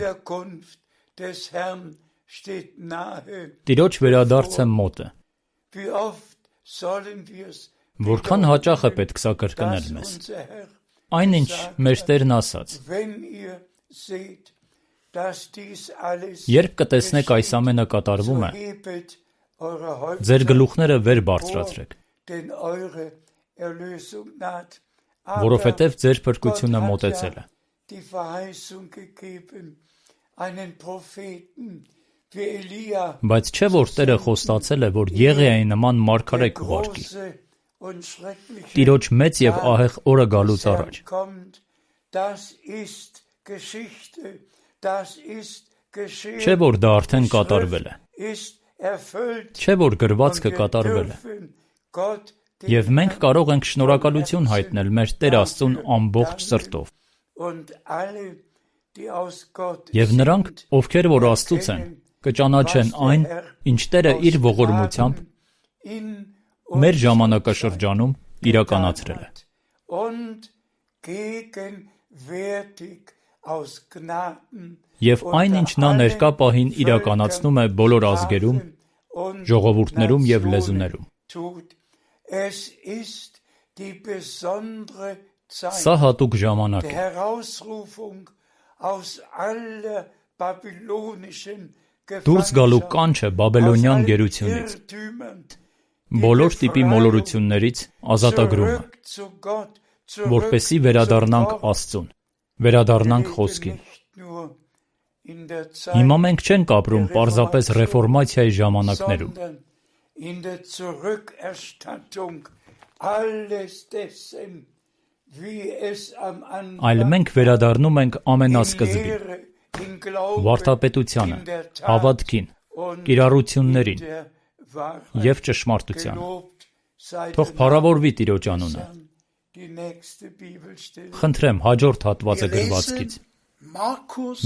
[SPEAKER 1] Տիրոջ վերադարձը մոտ է։ Որքան հաճախ է պետք սա կրկնել մեզ։ Այնինչ մեր Տերն ասաց. Երբ կտեսնեք այս ամենը կատարվում է, ձեր գլուխները վեր բարձրացրեք, որովհետև ձեր փրկությունը մոտեցել է։ Բայց չէ որ Տերը խոստացել է, որ Եղիայի նման մարգարե կուղարկի։ Տիրոջ մեծ եւ ահեղ օրը գալուց առաջ։ Չէ որ դա արդեն կատարվել է։ Չէ որ գրվածքը կատարվել է։ Եվ մենք կարող ենք շնորհակալություն հայտնել մեր Տեր Աստծուն ամբողջ սրտով։ Եվ նրանք, ովքեր որ Աստծուց են, կճանաչեն այն, ինչ Տերը իր ողորմությամբ մեր ժամանակաշրջանում իրականացրել է։ Եվ այն, ինչ նա ներկա պահին իրականացնում է բոլոր ազգերում, ժողովուրդներում եւ լեզուներում։ Սա հատուկ ժամանակ է։ Դուրս գալու կանչը բաբելոնյան գերությունից, բոլոր տիպի մոլորություններից ազատագրումը, որպեսզի վերադառնանք Աստծուն, վերադառնանք խոսքին։ Հիմա մենք չենք ապրում պարզապես ռեֆորմացիայի ժամանակներում, այլ մենք վերադառնում ենք ամենասկզբին, վարդապետությանը, հավատքին, կիրառություններին և ճշմարտությանը։ Թող փառավորվի Տիրոջ անունը։ Խնդրեմ հաջորդ հատվածը գրվածքից։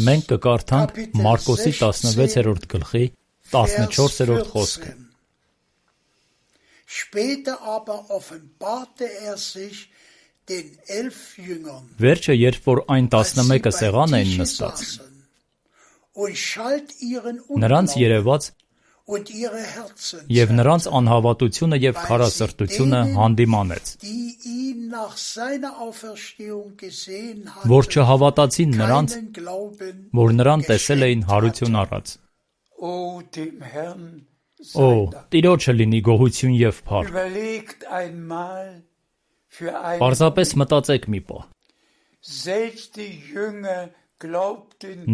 [SPEAKER 1] Մենք կկարդանք Մարկոսի տասնվեցերորդ գլխի տասնչորսերորդ խոսքը։ Վերջը, երբ որ այն տասնմեկը սեղան էին նստած, նրանց երևաց և նրանց անհավատությունը և քարասրտությունը հանդիմանեց, որ չհավատացին նրանց, որ նրան տեսել էին հարություն առած։ Օ, Տիրոջը լինի գոհություն և փառք։ Պարզապես մտածեք մի պահ։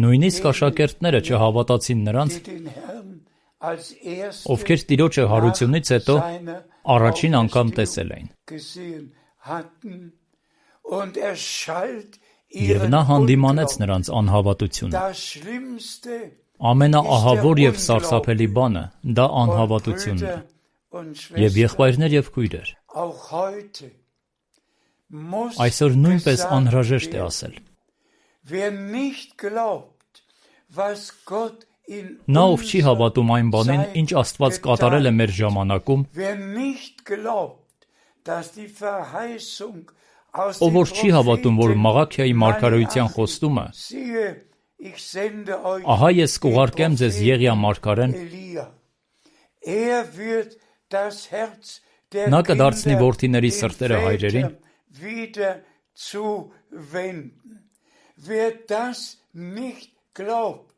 [SPEAKER 1] Նույնիսկ աշակերտները չհավատացին նրանց, ովքեր Տիրոջը հարությունից հետո առաջին անգամ տեսել էին։ Եվ նա հանդիմանեց նրանց անհավատությունը։ Ամենաահավոր և սարսափելի բանը դա անհավատությունն է։ Եվ եղբայրներ և քույրեր, Այսօր նույնպես անհրաժեշտ է ասել. նա, ով չի հավատում այն բանին, ինչ Աստված կատարել է մեր ժամանակում, ով որ չի հավատում, որ Մաղաքիայի մարգարեության խոստումը, ահա ես կուղարկեմ ձեզ Եղիա մարգարեն, նա կդարձնի որդիների սրտերը հայրերին,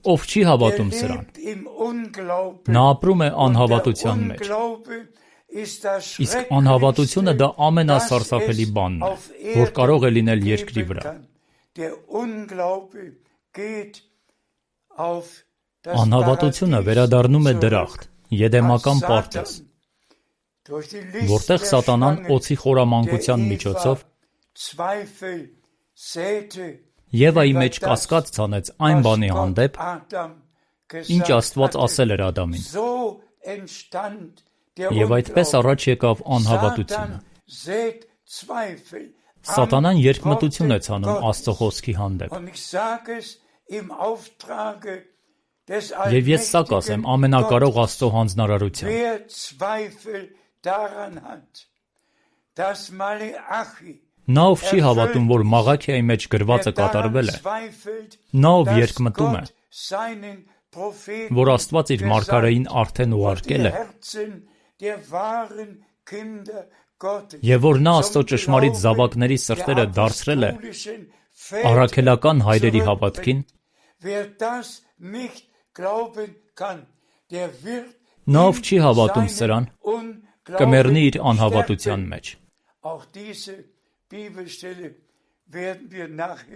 [SPEAKER 1] ով չի հավատում սրան, նա ապրում է անհավատության մեջ։ Իսկ անհավատությունը դա ամենասարսափելի բանն է, որ կարող է լինել երկրի վրա։ Անհավատությունը վերադառնում է դրախտ, եդեմական պարտեզ, որտեղ սատանան օձի խորամանկության միջոցով Եվայի մեջ կասկած ցանեց այն բանի հանդեպ, ինչ Աստված ասել էր Ադամին։ Եվ այդպես առաջ եկավ անհավատությունը։ Սատանան երկմտություն է ցանում Աստծո խոսքի հանդեպ։ Եվ ես սա կասեմ ամենակարող Աստծո հանձնարարությամբ։ Նա, ով չի հավատում, որ Մաղաքիայի մեջ գրվածը կատարվել է, նա, ով երկմտում է, որ Աստված իր մարգարեին արդեն ուղարկել է, եւ որ նա Աստծո ճշմարիտ զավակների սրտերը դարձրել է առաքելական հայրերի հավատքին, նա, ով չի հավատում սրան, կմեռնի իր անհավատության մեջ։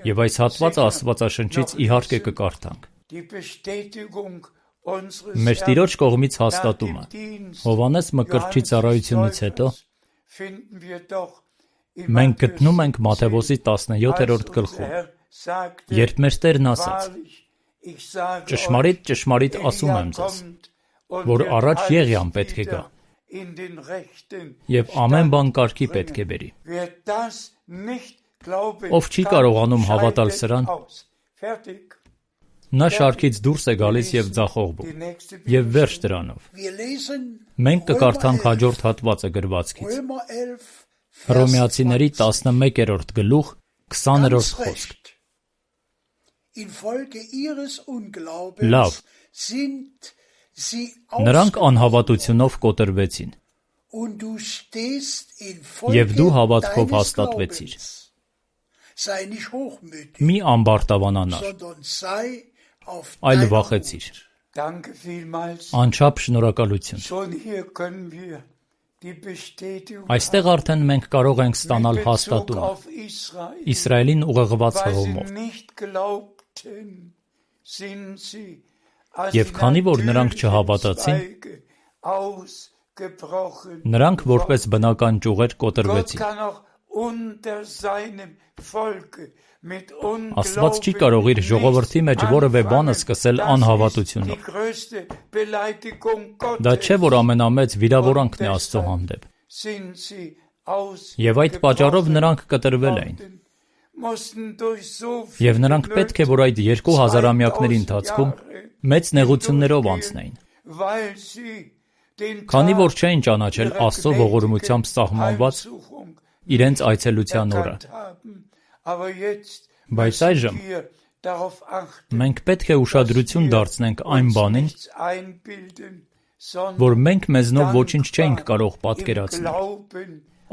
[SPEAKER 1] Եվ այս հատվածը Աստվածաշնչից իհարկե կկարդանք։ Մեր Տիրոջ կողմից հաստատումը Հովհաննես Մկրտչի ծառայությունից հետո մենք գտնում ենք Մատթեոս տասնյոթերորդ գլխում, երբ մեր Տերն ասաց. «Ճշմարիտ, ճշմարիտ ասում եմ ձեզ, որ առաջ Եղիան պետք է գա, եւ ամեն բան կարգի պետք է բերի։ Ով չի կարողանում հավատալ սրան, նա շարքից դուրս է գալիս եւ ձախողվում, եւ վերջ դրանով»։ Մենք կկարդանք հաջորդ հատվածը գրվածքից։ Հռոմեացիների տասնմեկերորդ գլուխ, քսաներորդ խոսք։ Լավ, նրանք անհավատությունով կոտրվեցին, եւ դու հավատքով հաստատվեցիր։ Մի ամբարտավանանար, այլ վախեցիր։ Անչափ շնորհակալություն։ Այստեղ արդեն մենք կարող ենք ստանալ հաստատում Իսրայելին ուղղված հղումով։ Եվ քանի որ նրանք չհավատացին, նրանք որպես բնական ճյուղեր կոտրվեցին։ Աստված չի կարող իր ժողովրդի մեջ որևէ բանը սկսել անհավատությունով։ Դա չէ, որ ամենամեծ վիրավորանքն է Աստծո հանդեպ։ Եվ այդ պատճառով նրանք կտրվել էին։ Եվ նրանք պետք է, որ այդ երկու հազարամյակների ընթացքում մեծ նեղություններով անցնեին։ Քանի որ չէին ճանաչել Աստծո ողորմությամբ սահմանված իրենց այցելության օրը։ Բայց այժմ մենք պետք է ուշադրություն դարձնենք այն բանին, որ մենք մեզնով ոչինչ չենք կարող պատկերացնել,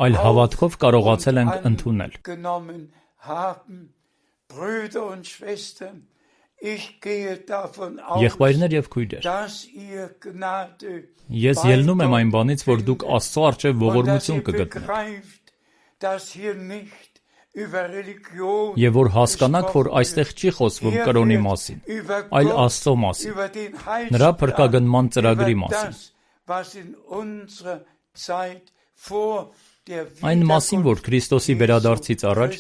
[SPEAKER 1] այլ հավատքով կարողացել ենք ընդունել։ Եղբայրներ եւ քույրեր, ես ելնում եմ այն բանից, որ դուք Աստծո առջև ողորմություն կգտնեք, եւ որ հասկանաք, որ այստեղ չի խոսվում կրոնի մասին, այլ Աստծո մասին, նրա փրկագնման ծրագրի մասին, այն մասին, որ Քրիստոսի վերադարձից առաջ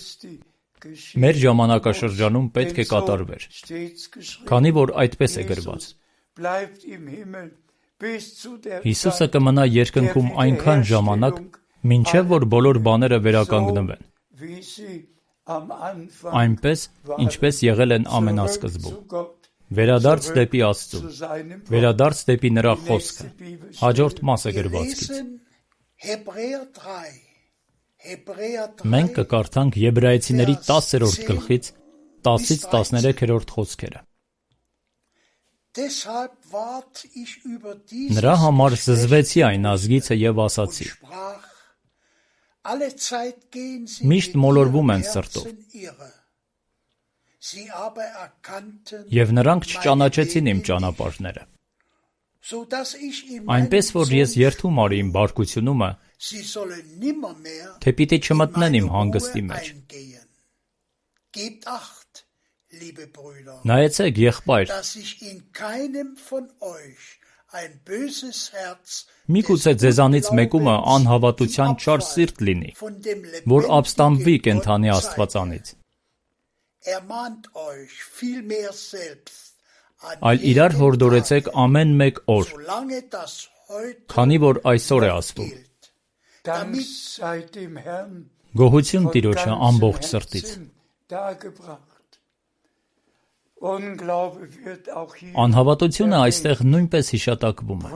[SPEAKER 1] մեր ժամանակաշրջանում պետք է կատարվեր, քանի որ այդպես է գրված. Հիսուսը կմնա երկնքում այնքան ժամանակ, Մինչև որ բոլոր բաները վերականգնվեն, այնպես, ինչպես եղել են ամենասկզբում։ Վերադարձ դեպի Աստծուն, վերադարձ դեպի նրա խոսքը, հաջորդ մասը գրվածքից։ Մենք կկարդանք Եբրայեցիների տասերորդ գլխից տասից տասներեքերորդ խոսքերը։ Նրա համար զզվեցի այն ազգիցը և ասացի. միշտ մոլորվում են սրտով, և նրանք չճանաչեցին իմ ճանապարհները, այնպես որ ես երդում արի իմ բարկությունումը, թե պիտի չմտնեն իմ հանգստի մեջ։ Նայեցեք, եղբայր, միգուցե ձեզանից մեկումը անհավատության չար սիրտ լինի, որ ապստամբվի կենդանի Աստվածանից, այլ իրար հորդորեցեք ամեն մեկ օր, քանի որ այսօր է ասվում։ Գոհություն Տիրոջը ամբողջ սրտից։ Անհավատությունը այստեղ նույնպես հիշատակվում է։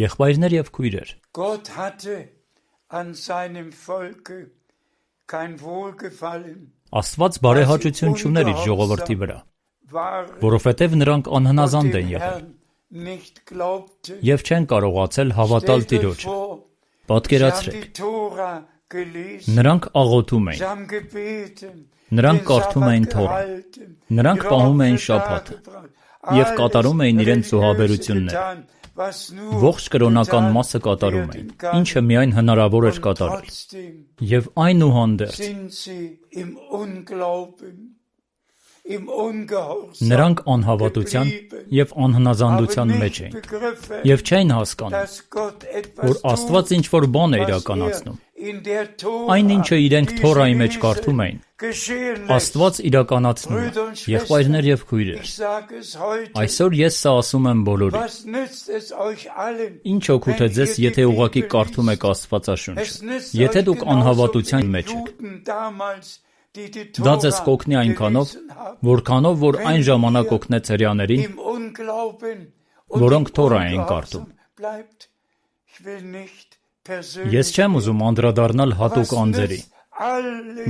[SPEAKER 1] Եղբայրներ և քույրեր, Աստված բարեհաճություն չուներ իր ժողովրդի վրա, որովհետև նրանք անհնազանդ են եղել և չեն կարողացել հավատալ Տիրոջը։ Պատկերացրեք, նրանք աղոթում էին, նրանք կարդում էին Թորան, նրանք պահում էին Շաբաթը և կատարում էին իրենց զոհաբերությունները, ողջ կրոնական մասը կատարում էին, ինչը միայն հնարավոր էր կատարել, և այնուհանդերձ նրանք անհավատության և անհնազանդության մեջ էին և չէին հասկանում, որ Աստված ինչ-որ բան է իրականացնում։ Այն ինչը իրենք Թորայի մեջ կարդում էին, Աստված իրականացնում է։ Եղբայրներ և քույրեր, այսօր ես սա ասում եմ բոլորին։ Ինչ օգուտ է ձեզ, եթե ուղղակի կարդում եք Աստվածաշունչը, եթե դուք անհավատության մեջ եք։ Դա ձեզ կօգնի այնքանով, որքանով որ այն ժամանակ օգնեց հրեաներին, որոնք Թորա էին կարդում։ Ես չեմ ուզում անդրադառնալ հատուկ անձերի,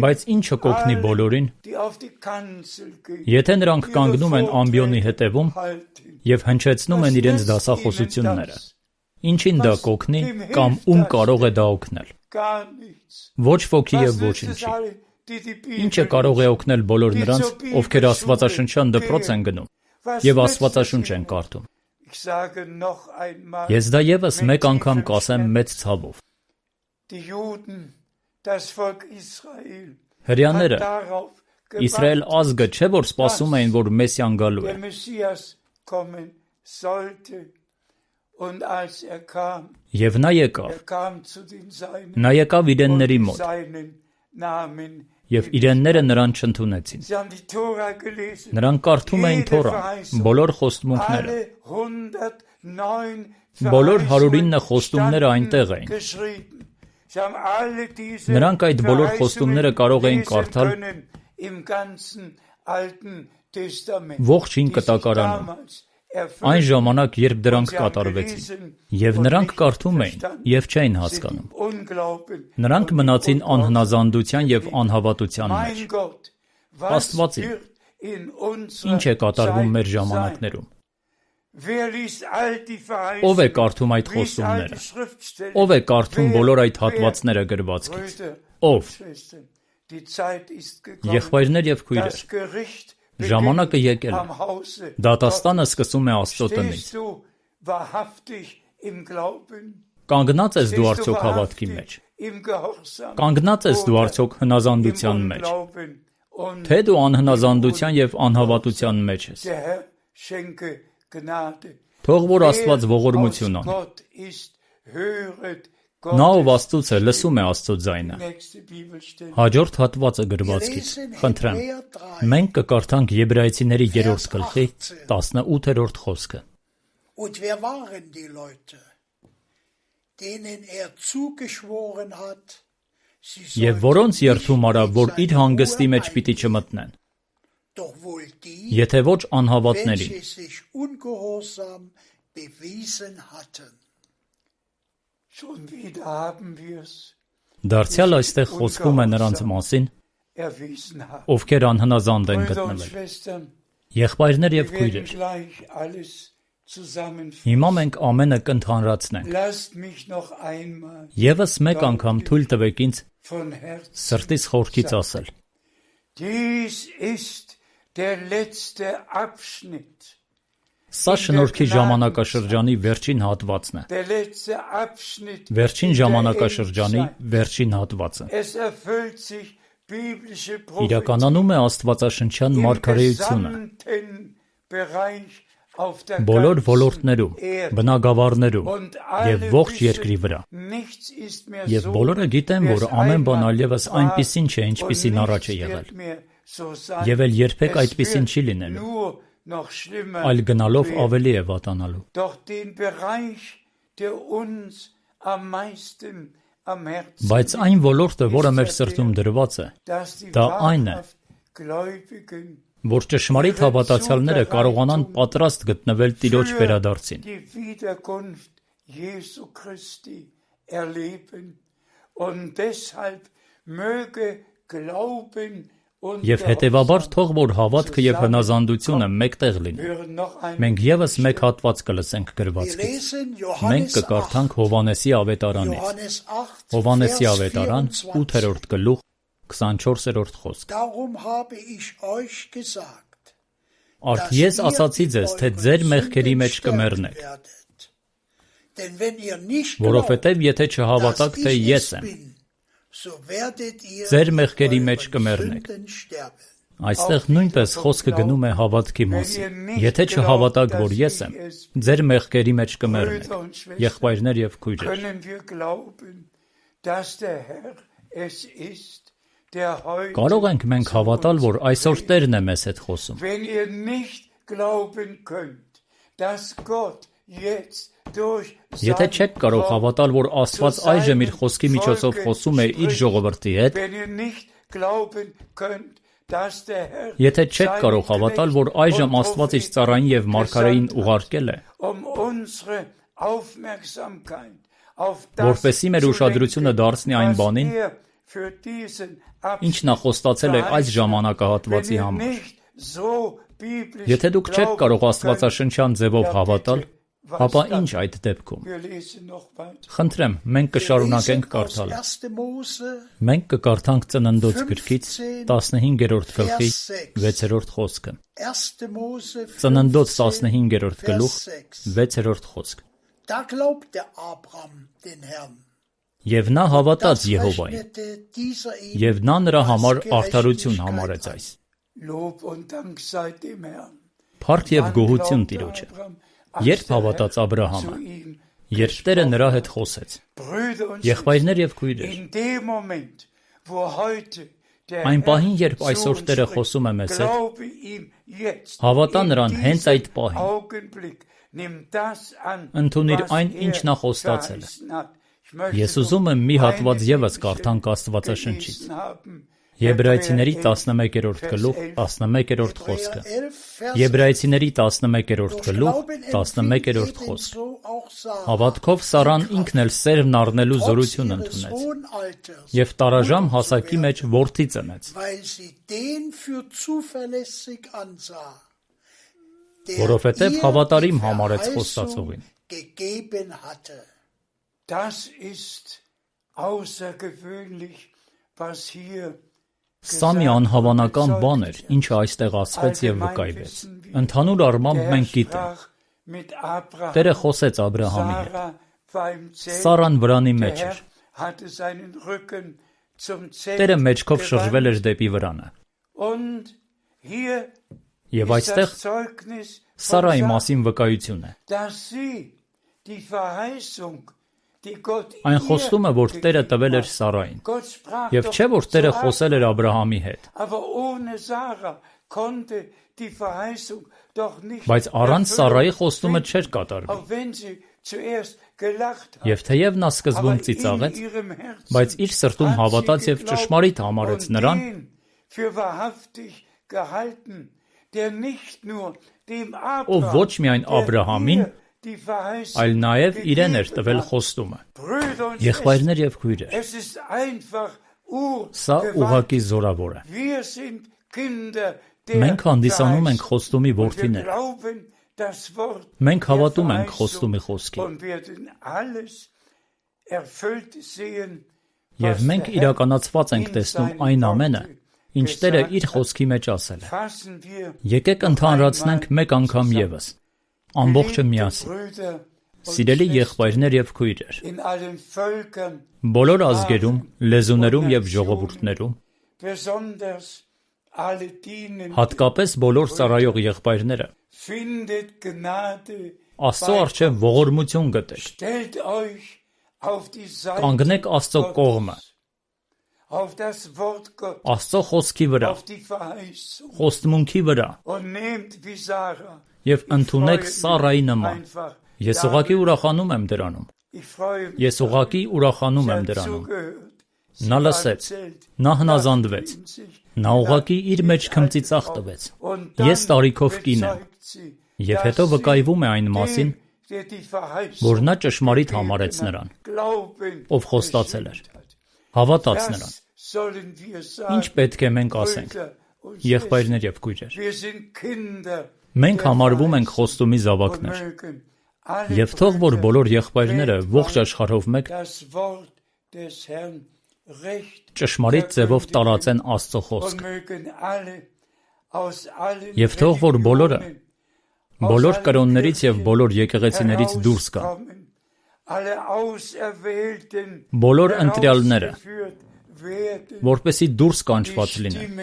[SPEAKER 1] բայց ինչը կօգնի բոլորին, եթե նրանք կանգնում են ամբիոնի հետևում և հնչեցնում են իրենց դասախոսությունները, ինչին դա կօգնի կամ ում կարող է դա օգնել։ Ոչ ոքի և ոչինչի։ Ինչը կարող է օգնել բոլոր նրանց, ովքեր աստվածաշնչյան դպրոց են գնում և Աստվածաշունչ են կարդում։ Ես դա ևս մեկ անգամ կասեմ մեծ ցավով։ Հրեաները, Իսրայել ազգը չէ որ սպասում էին, որ Մեսիան գալու է։ Եվ նա եկավ։ Նա եկավ իրենների մոտ, և իրենները նրան չընդունեցին։ Նրանք կարդում էին Թորան, բոլոր խոստմունքները։ Բոլոր հարյուրինը խոստումները այնտեղ էին։ Նրանք այդ բոլոր խոստումները կարող էին կարդալ ողջ Հին Կտակարանում, այն ժամանակ, երբ դրանք կատարվեցին, և նրանք կարդում էին և չէին հասկանում։ Նրանք մնացին անհնազանդության և անհավատության մեջ։ Աստվածին, ինչ է կատարվում մեր ժամանակներում։ Ո՞վ է կարդում այդ խոստումները։ Ո՞վ է կարդում բոլոր այդ հատվածները գրվածքից։ Ո՞վ։ Եղբայրներ և քույրեր, ժամանակը եկել է։ Դատաստանը սկսում է Աստծո տնից։ Կանգնա՞ծ ես դու արդյոք հավատքի մեջ։ Կանգնա՞ծ ես դու արդյոք հնազանդության մեջ, թե դու անհնազանդության և անհավատության մեջ ես։ Թող որ Աստված ողորմություն անի։ Նա ով Աստծուց է, լսում է Աստծո ձայնը։ Հաջորդ հատվածը գրվածքից, խնդրեմ, մենք կկարդանք Եբրայեցիների երրորդ գլխի տասնութերորդ խոսքը։ Եվ որոնց երդում արավ, որ իր հանգստի մեջ պիտի չմտնեն, եթե ոչ անհավատներին։ Դարձյալ այստեղ խոսվում է նրանց մասին, ովքեր անհնազանդ են գտնվել։ Եղբայրներ եւ քույրեր, հիմա մենք ամենը կընդհանրացնենք։ Եվս մեկ անգամ թույլ տվեք ինձ սրտից խորքից ասել. Սա շնորհքի ժամանակաշրջանի վերջին հատվածն է։ Վերջին ժամանակաշրջանի վերջին հատվածը։ Իրականանում է աստվածաշնչյան մարգարեությունը։ Բոլոր ոլորտներում, բնագավառներում եւ ողջ երկրի վրա։ Եվ բոլորը գիտեն, որ ամեն բան այլևս այնպիսին չէ, ինչպիսին առաջ է եղել։ Եվ էլ երբեք այդպիսին չի լինելու, այլ գնալով ավելի է վատանալու։ Բայց այն ոլորտը, որը մեր սրտում դրված է, դա այն է, որ ճշմարիտ հավատացյալները կարողանան պատրաստ գտնվել Տիրոջ վերադարձին։ Եվ հետևաբար թող որ հավատքը եւ հնազանդությունը մեկտեղ լինի։ Մենք եւս մեկ հատված կլսենք գրվածքից։ Մենք կկարդանք Հովհաննեսի ավետարանից։ Հովհաննեսի ավետարան ութերորդ գլուխ քսանչորսերորդ խոսք։ Արդ ես ասացի ձեզ, թե ձեր մեղքերի մեջ կմեռնեք։ Որովհետև եթե չհավատաք, թե ես եմ, ձեր մեղքերի մեջ կմեռնեք։ Այստեղ նույնպես խոսքը գնում է հավատքի մասին։ Եթե չհավատաք, որ ես եմ, ձեր մեղքերի մեջ կմեռնեք։ Եղբայրներ եւ քույրեր, կարող ենք մենք հավատալ, որ այսօր Տերն է մեզ հետ խոսում։ Եթե չեք կարող հավատալ, որ Աստված այժմ իր խոսքի միջոցով խոսում է իր ժողովրդի հետ, եթե չեք կարող հավատալ, որ այժմ Աստված իր ծառային եւ մարգարեին ուղարկել է, որպեսզի մեր ուշադրությունը դարձնի այն բանին, ինչ նա խոստացել է այս ժամանակահատվածի համար։ Եթե դուք չեք կարող աստվածաշնչյան ձևով հավատալ, ապա ինչ այդ դեպքում։ Խնդրեմ, մենք կշարունակենք կարդալը։ Մենք կկարդանք Ծննդոց գրքից տասնհինգերորդ գլխի վեցերորդ խոսքը։ Ծննդոց տասնհինգերորդ գլուխ վեցերորդ խոսք։ Եվ նա հավատաց Եհովային, եւ նա նրա համար արդարություն համարեց այս։ Փառք եւ գոհություն Տիրոջը։ Երբ հավատաց Աբրահամը, երբ Տերը նրա հետ խոսեց։ Եղբայրներ եւ քույրեր, այն պահին, երբ այսօր Տերը խոսում է մեզ հետ, հավատա նրան հենց այդ պահին։ Ընդունիր այն, ինչ նա խոստացել է։ Ես ուզում եմ մի հատված ևս կարդանք Աստվածաշնչից։ Եբրայեցիների տասնմեկերորդ գլուխ տասնմեկերորդ խոսքը։ Եբրայեցիների տասնմեկերորդ գլուխ տասնմեկերորդ խոսք։ Հավատքով Սարան ինքն էլ սերմն առնելու զորություն ընդունեց եւ տարաժամ հասակի մեջ որդի ծնեց, որովհետեւ հավատարիմ համարեց խոստացողին։ Սա մի անհավանական բան էր, ինչը այստեղ ասվեց եւ վկայվեց։ Ընդհանուր առմամբ մենք գիտենք, Տերը խոսեց Աբրահամի հետ։ Սարան վրանի մեջ էր։ Տերը մեջքով շրջվել էր դեպի վրանը։ Եվ այստեղ Սարայի մասին վկայություն է։ Այն խոստումը, որ Տերը տվել էր Սարային, եւ չէ, որ Տերը խոսել էր Աբրահամի հետ։ Բայց առանց Սարայի խոստումը չէր կատարվի։ Եվ թեև նա սկզբում ծիծաղեց, բայց իր սրտում հավատաց և ճշմարիտ համարեց նրան, ով ոչ միայն Աբրահամին, այլ նաև իրեն էր տվել խոստումը։ Եղբայրներ և քույրեր, սա ուղղակի զորավոր է։ Մենք հանդիսանում ենք խոստումի որդիներ։ Մենք հավատում ենք խոստումի խոսքին։ Եվ մենք իրականացված ենք տեսնում այն ամենը, ինչ Տերը իր խոսքի մեջ ասել է։ Եկեք ընդհանրացնենք մեկ անգամ ևս, ամբողջը միասին։ Սիրելի եղբայրներ և քույրեր, բոլոր ազգերում, լեզուներում և ժողովուրդներում, հատկապես բոլոր ծառայող եղբայրները, Աստծո առջև ողորմություն գտեք, կանգնեք Աստծո կողմը, Աստծո խոսքի վրա, խոստմունքի վրա և ընդունեք Սառայի նման։ Ես ուղղակի ուրախանում եմ դրանում։ Ես ուղղակի ուրախանում եմ դրանում։ Նա լսեց, նա հնազանդվեց, նա ուղղակի իր մեջ քմծիծաղ տվեց։ Ես տարիքով կին եմ, և հետո վկայվում է այն մասին, որ նա ճշմարիտ համարեց նրան, ով խոստացել էր, հավատաց նրան։ Ինչ պետք է մենք ասենք, եղբայրներ և քույրեր։ Մենք համարվում ենք խոստումի զավակներ, և թող որ բոլոր եղբայրները ողջ աշխարհով մեկ ճշմարիտ ձևով տարածեն Աստծո խոսքը։ Եվ թող որ բոլորը, բոլոր կրոններից և բոլոր եկեղեցիներից դուրս գան, բոլոր ընտրյալները, որպեսզի դուրս կանչված լինեն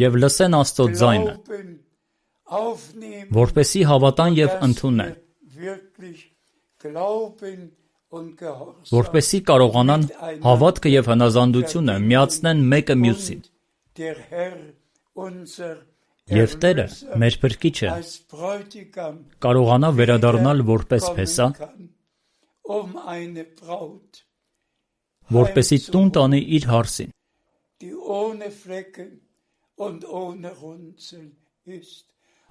[SPEAKER 1] և լսեն Աստծո ձայնը, որպեսզի հավատան և ընդունեն, որպեսզի կարողանան հավատքը և հնազանդությունը միացնեն մեկը մյուսին։ Եվ Տերը, մեր Փրկիչը, կարողանա վերադառնալ որպես փեսա, որպեսզի տուն տանի իր հարսին,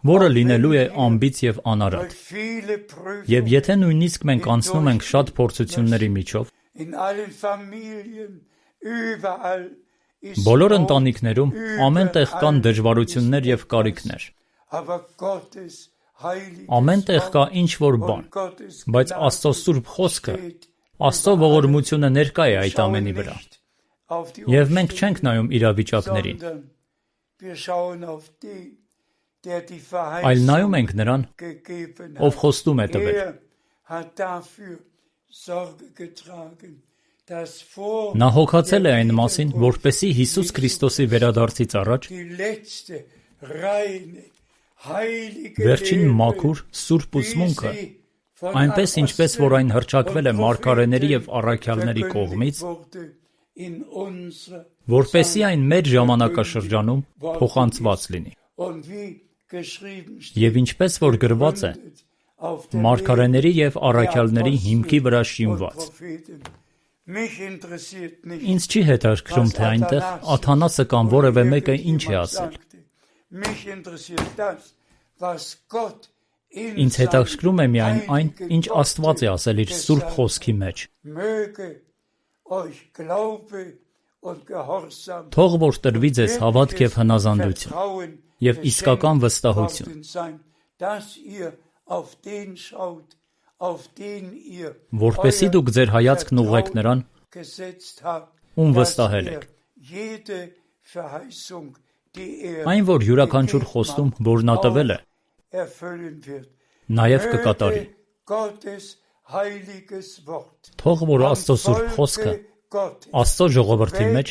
[SPEAKER 1] որը լինելու է անբիծ և անարատ։ Եւ եթե նույնիսկ մենք անցնում ենք շատ փորձությունների միջով, բոլոր ընտանիքներում ամեն տեղ կան դժվարություններ և կարիքներ, ամեն տեղ կա ինչ-որ բան, բայց Աստծո Սուրբ Խոսքը, Աստծո ողորմությունը ներկա է այդ ամենի վրա, և մենք չենք նայում իրավիճակներին, այլ նայում ենք նրան, ով խոստում է տվել։ Նա հոգացել է այն մասին, որպեսզի Հիսուս Քրիստոսի վերադարձից առաջ վերջին մաքուր, սուրբ ուսմունքը, այնպես ինչպես որ այն հռչակվել է մարգարեների և առաքյալների կողմից, որպեսզի այն մեր ժամանակաշրջանում փոխանցված լինի։ Եվ ինչպես որ գրված է, մարգարեների և առաքյալների հիմքի վրա շինված։ Ինձ չի հետաքրքրում, թե այնտեղ Աթանասը կամ որևէ մեկը ինչ է ասել։ Ինձ հետաքրքրում է միայն այն, ինչ Աստված է ասել իր Սուրբ Խոսքի մեջ։ Թող որ տրվի ձեզ հավատք և հնազանդություն և իսկական վստահություն, որպեսզի դուք ձեր հայացքն ուղղեք նրան, ում վստահել եք։ Այն, որ յուրաքանչյուր խոստում, որ նա տվել է, նաև կկատարի։ Թող որ Աստծո Սուրբ Խոսքը Աստծո ժողովրդի մեջ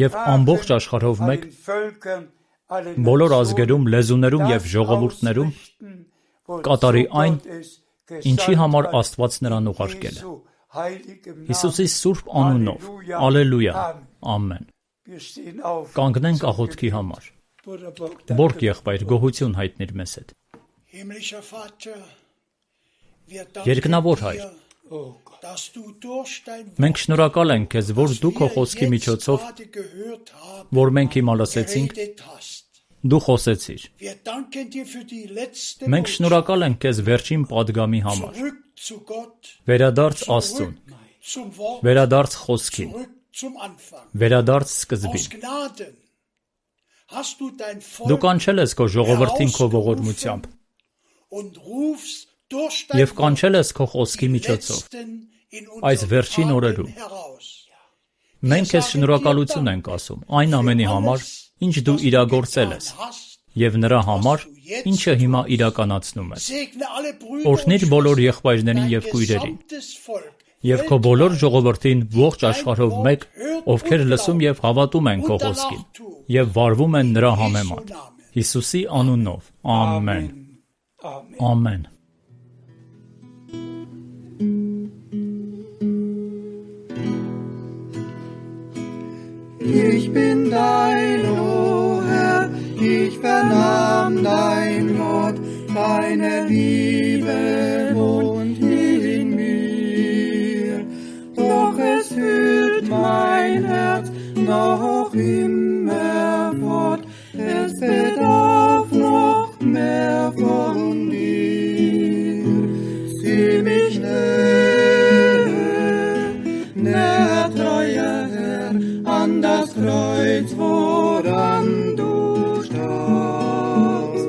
[SPEAKER 1] և ամբողջ աշխարհով մեկ բոլոր ազգերում, լեզուներում և ժողովուրդներում կատարի այն, ինչի համար Աստված նրան ուղարկել է։ Հիսուսի սուրբ անունով, ալելույա, ամեն։ Կանգնենք աղոթքի համար։ Բորգ եղբայր, գոհություն հայտնիր մեզ հետ։ Երկնավոր Հայր, մենք շնորհակալ ենք Քեզ, որ Դու Քո խոսքի միջոցով, որ մենք հիմա լսեցինք, Դու խոսեցիր։ Մենք շնորհակալ ենք Քեզ վերջին պատգամի համար։ Վերադարձ Աստծուն, վերադարձ խոսքին, վերադարձ սկզբին։ Դու կանչել ես Քո ժողովրդին Քո ողորմությամբ և կանչել ես Քո խոսքի միջոցով այս վերջին օրերում։ Մենք Քեզ շնորհակալություն ենք ասում այն ամենի համար, ինչ Դու իրագործել ես, և նրա համար, ինչը հիմա իրականացնում ես։ Օրհնիր բոլոր եղբայրներին և քույրերին, և Քո բոլոր ժողովրդին ողջ աշխարհով մեկ, ովքեր լսում և հավատում են Քո խոսքին, և վարվում են նրա համեմատ։ Հիսուսի անունով, ամեն, ամեն։
[SPEAKER 3] Ich bin dein, o Herr, ich vernahm dein Wort, deine Liebe wohnt in mir. Doch es fühlt mein Herz noch immer fort, es bedarf noch mehr von dir. Sieh mich näher, näher, treuer Herr, an das Kreuz, woran du starbst.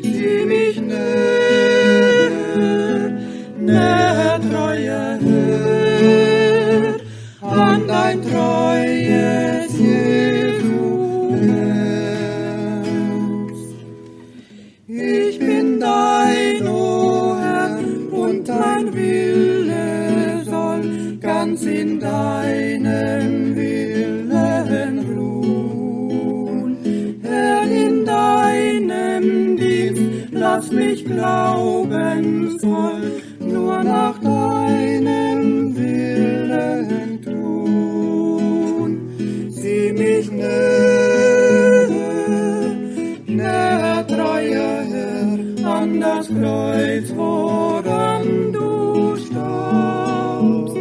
[SPEAKER 3] Sieh mich näher, näher, treuer Herr, an dein treues Jesu Herz. Ich bin dein, o Herr, und dein Wille soll ganz in deinem Willen ruhen. Herr, in deinem Dienst lass mich glaubensvoll nur nach deinem Willen tun. Sieh mich näher, näher, treuer Herr, an das Kreuz, woran du starbst.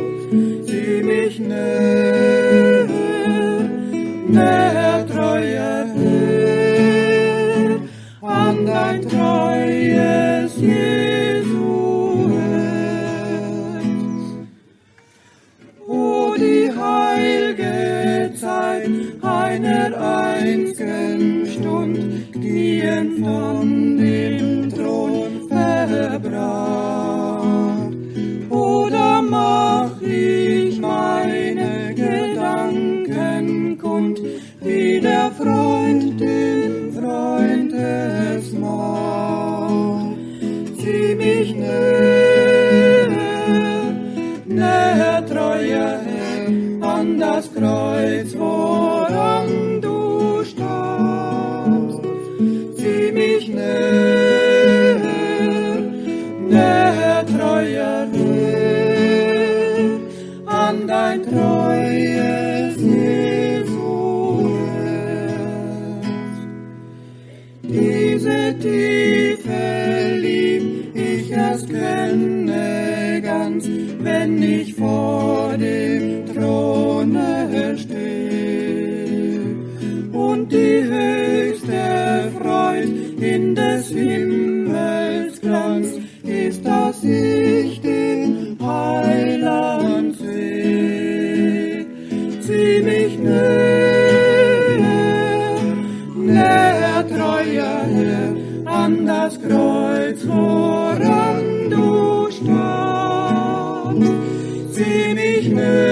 [SPEAKER 3] Sieh mich näher, näher, treuer Herr, an dein treues Jesu Herz. O die heilge Zeit einer einzigen Stund, die von dem Thron verbracht. Oder mach ich meine Gedanken kund, wie der Freund den Freund es macht. Sieh mich näher, näher, treuer Herr, an das Kreuz, woran du starbst. Sieh mich näher, näher, treuer Herr, an dein treues Jesu Herz. Diese Tiefe lieb ich erst kenne ganz, wenn ich vor dem Throne stehe und die höchste Freud in des Himmels Glanz ist, dass ich den Heiland seh. Zieh mich näher, näher, treuer Herr, an das Kreuz, woran du starbst. Sieh mich näher,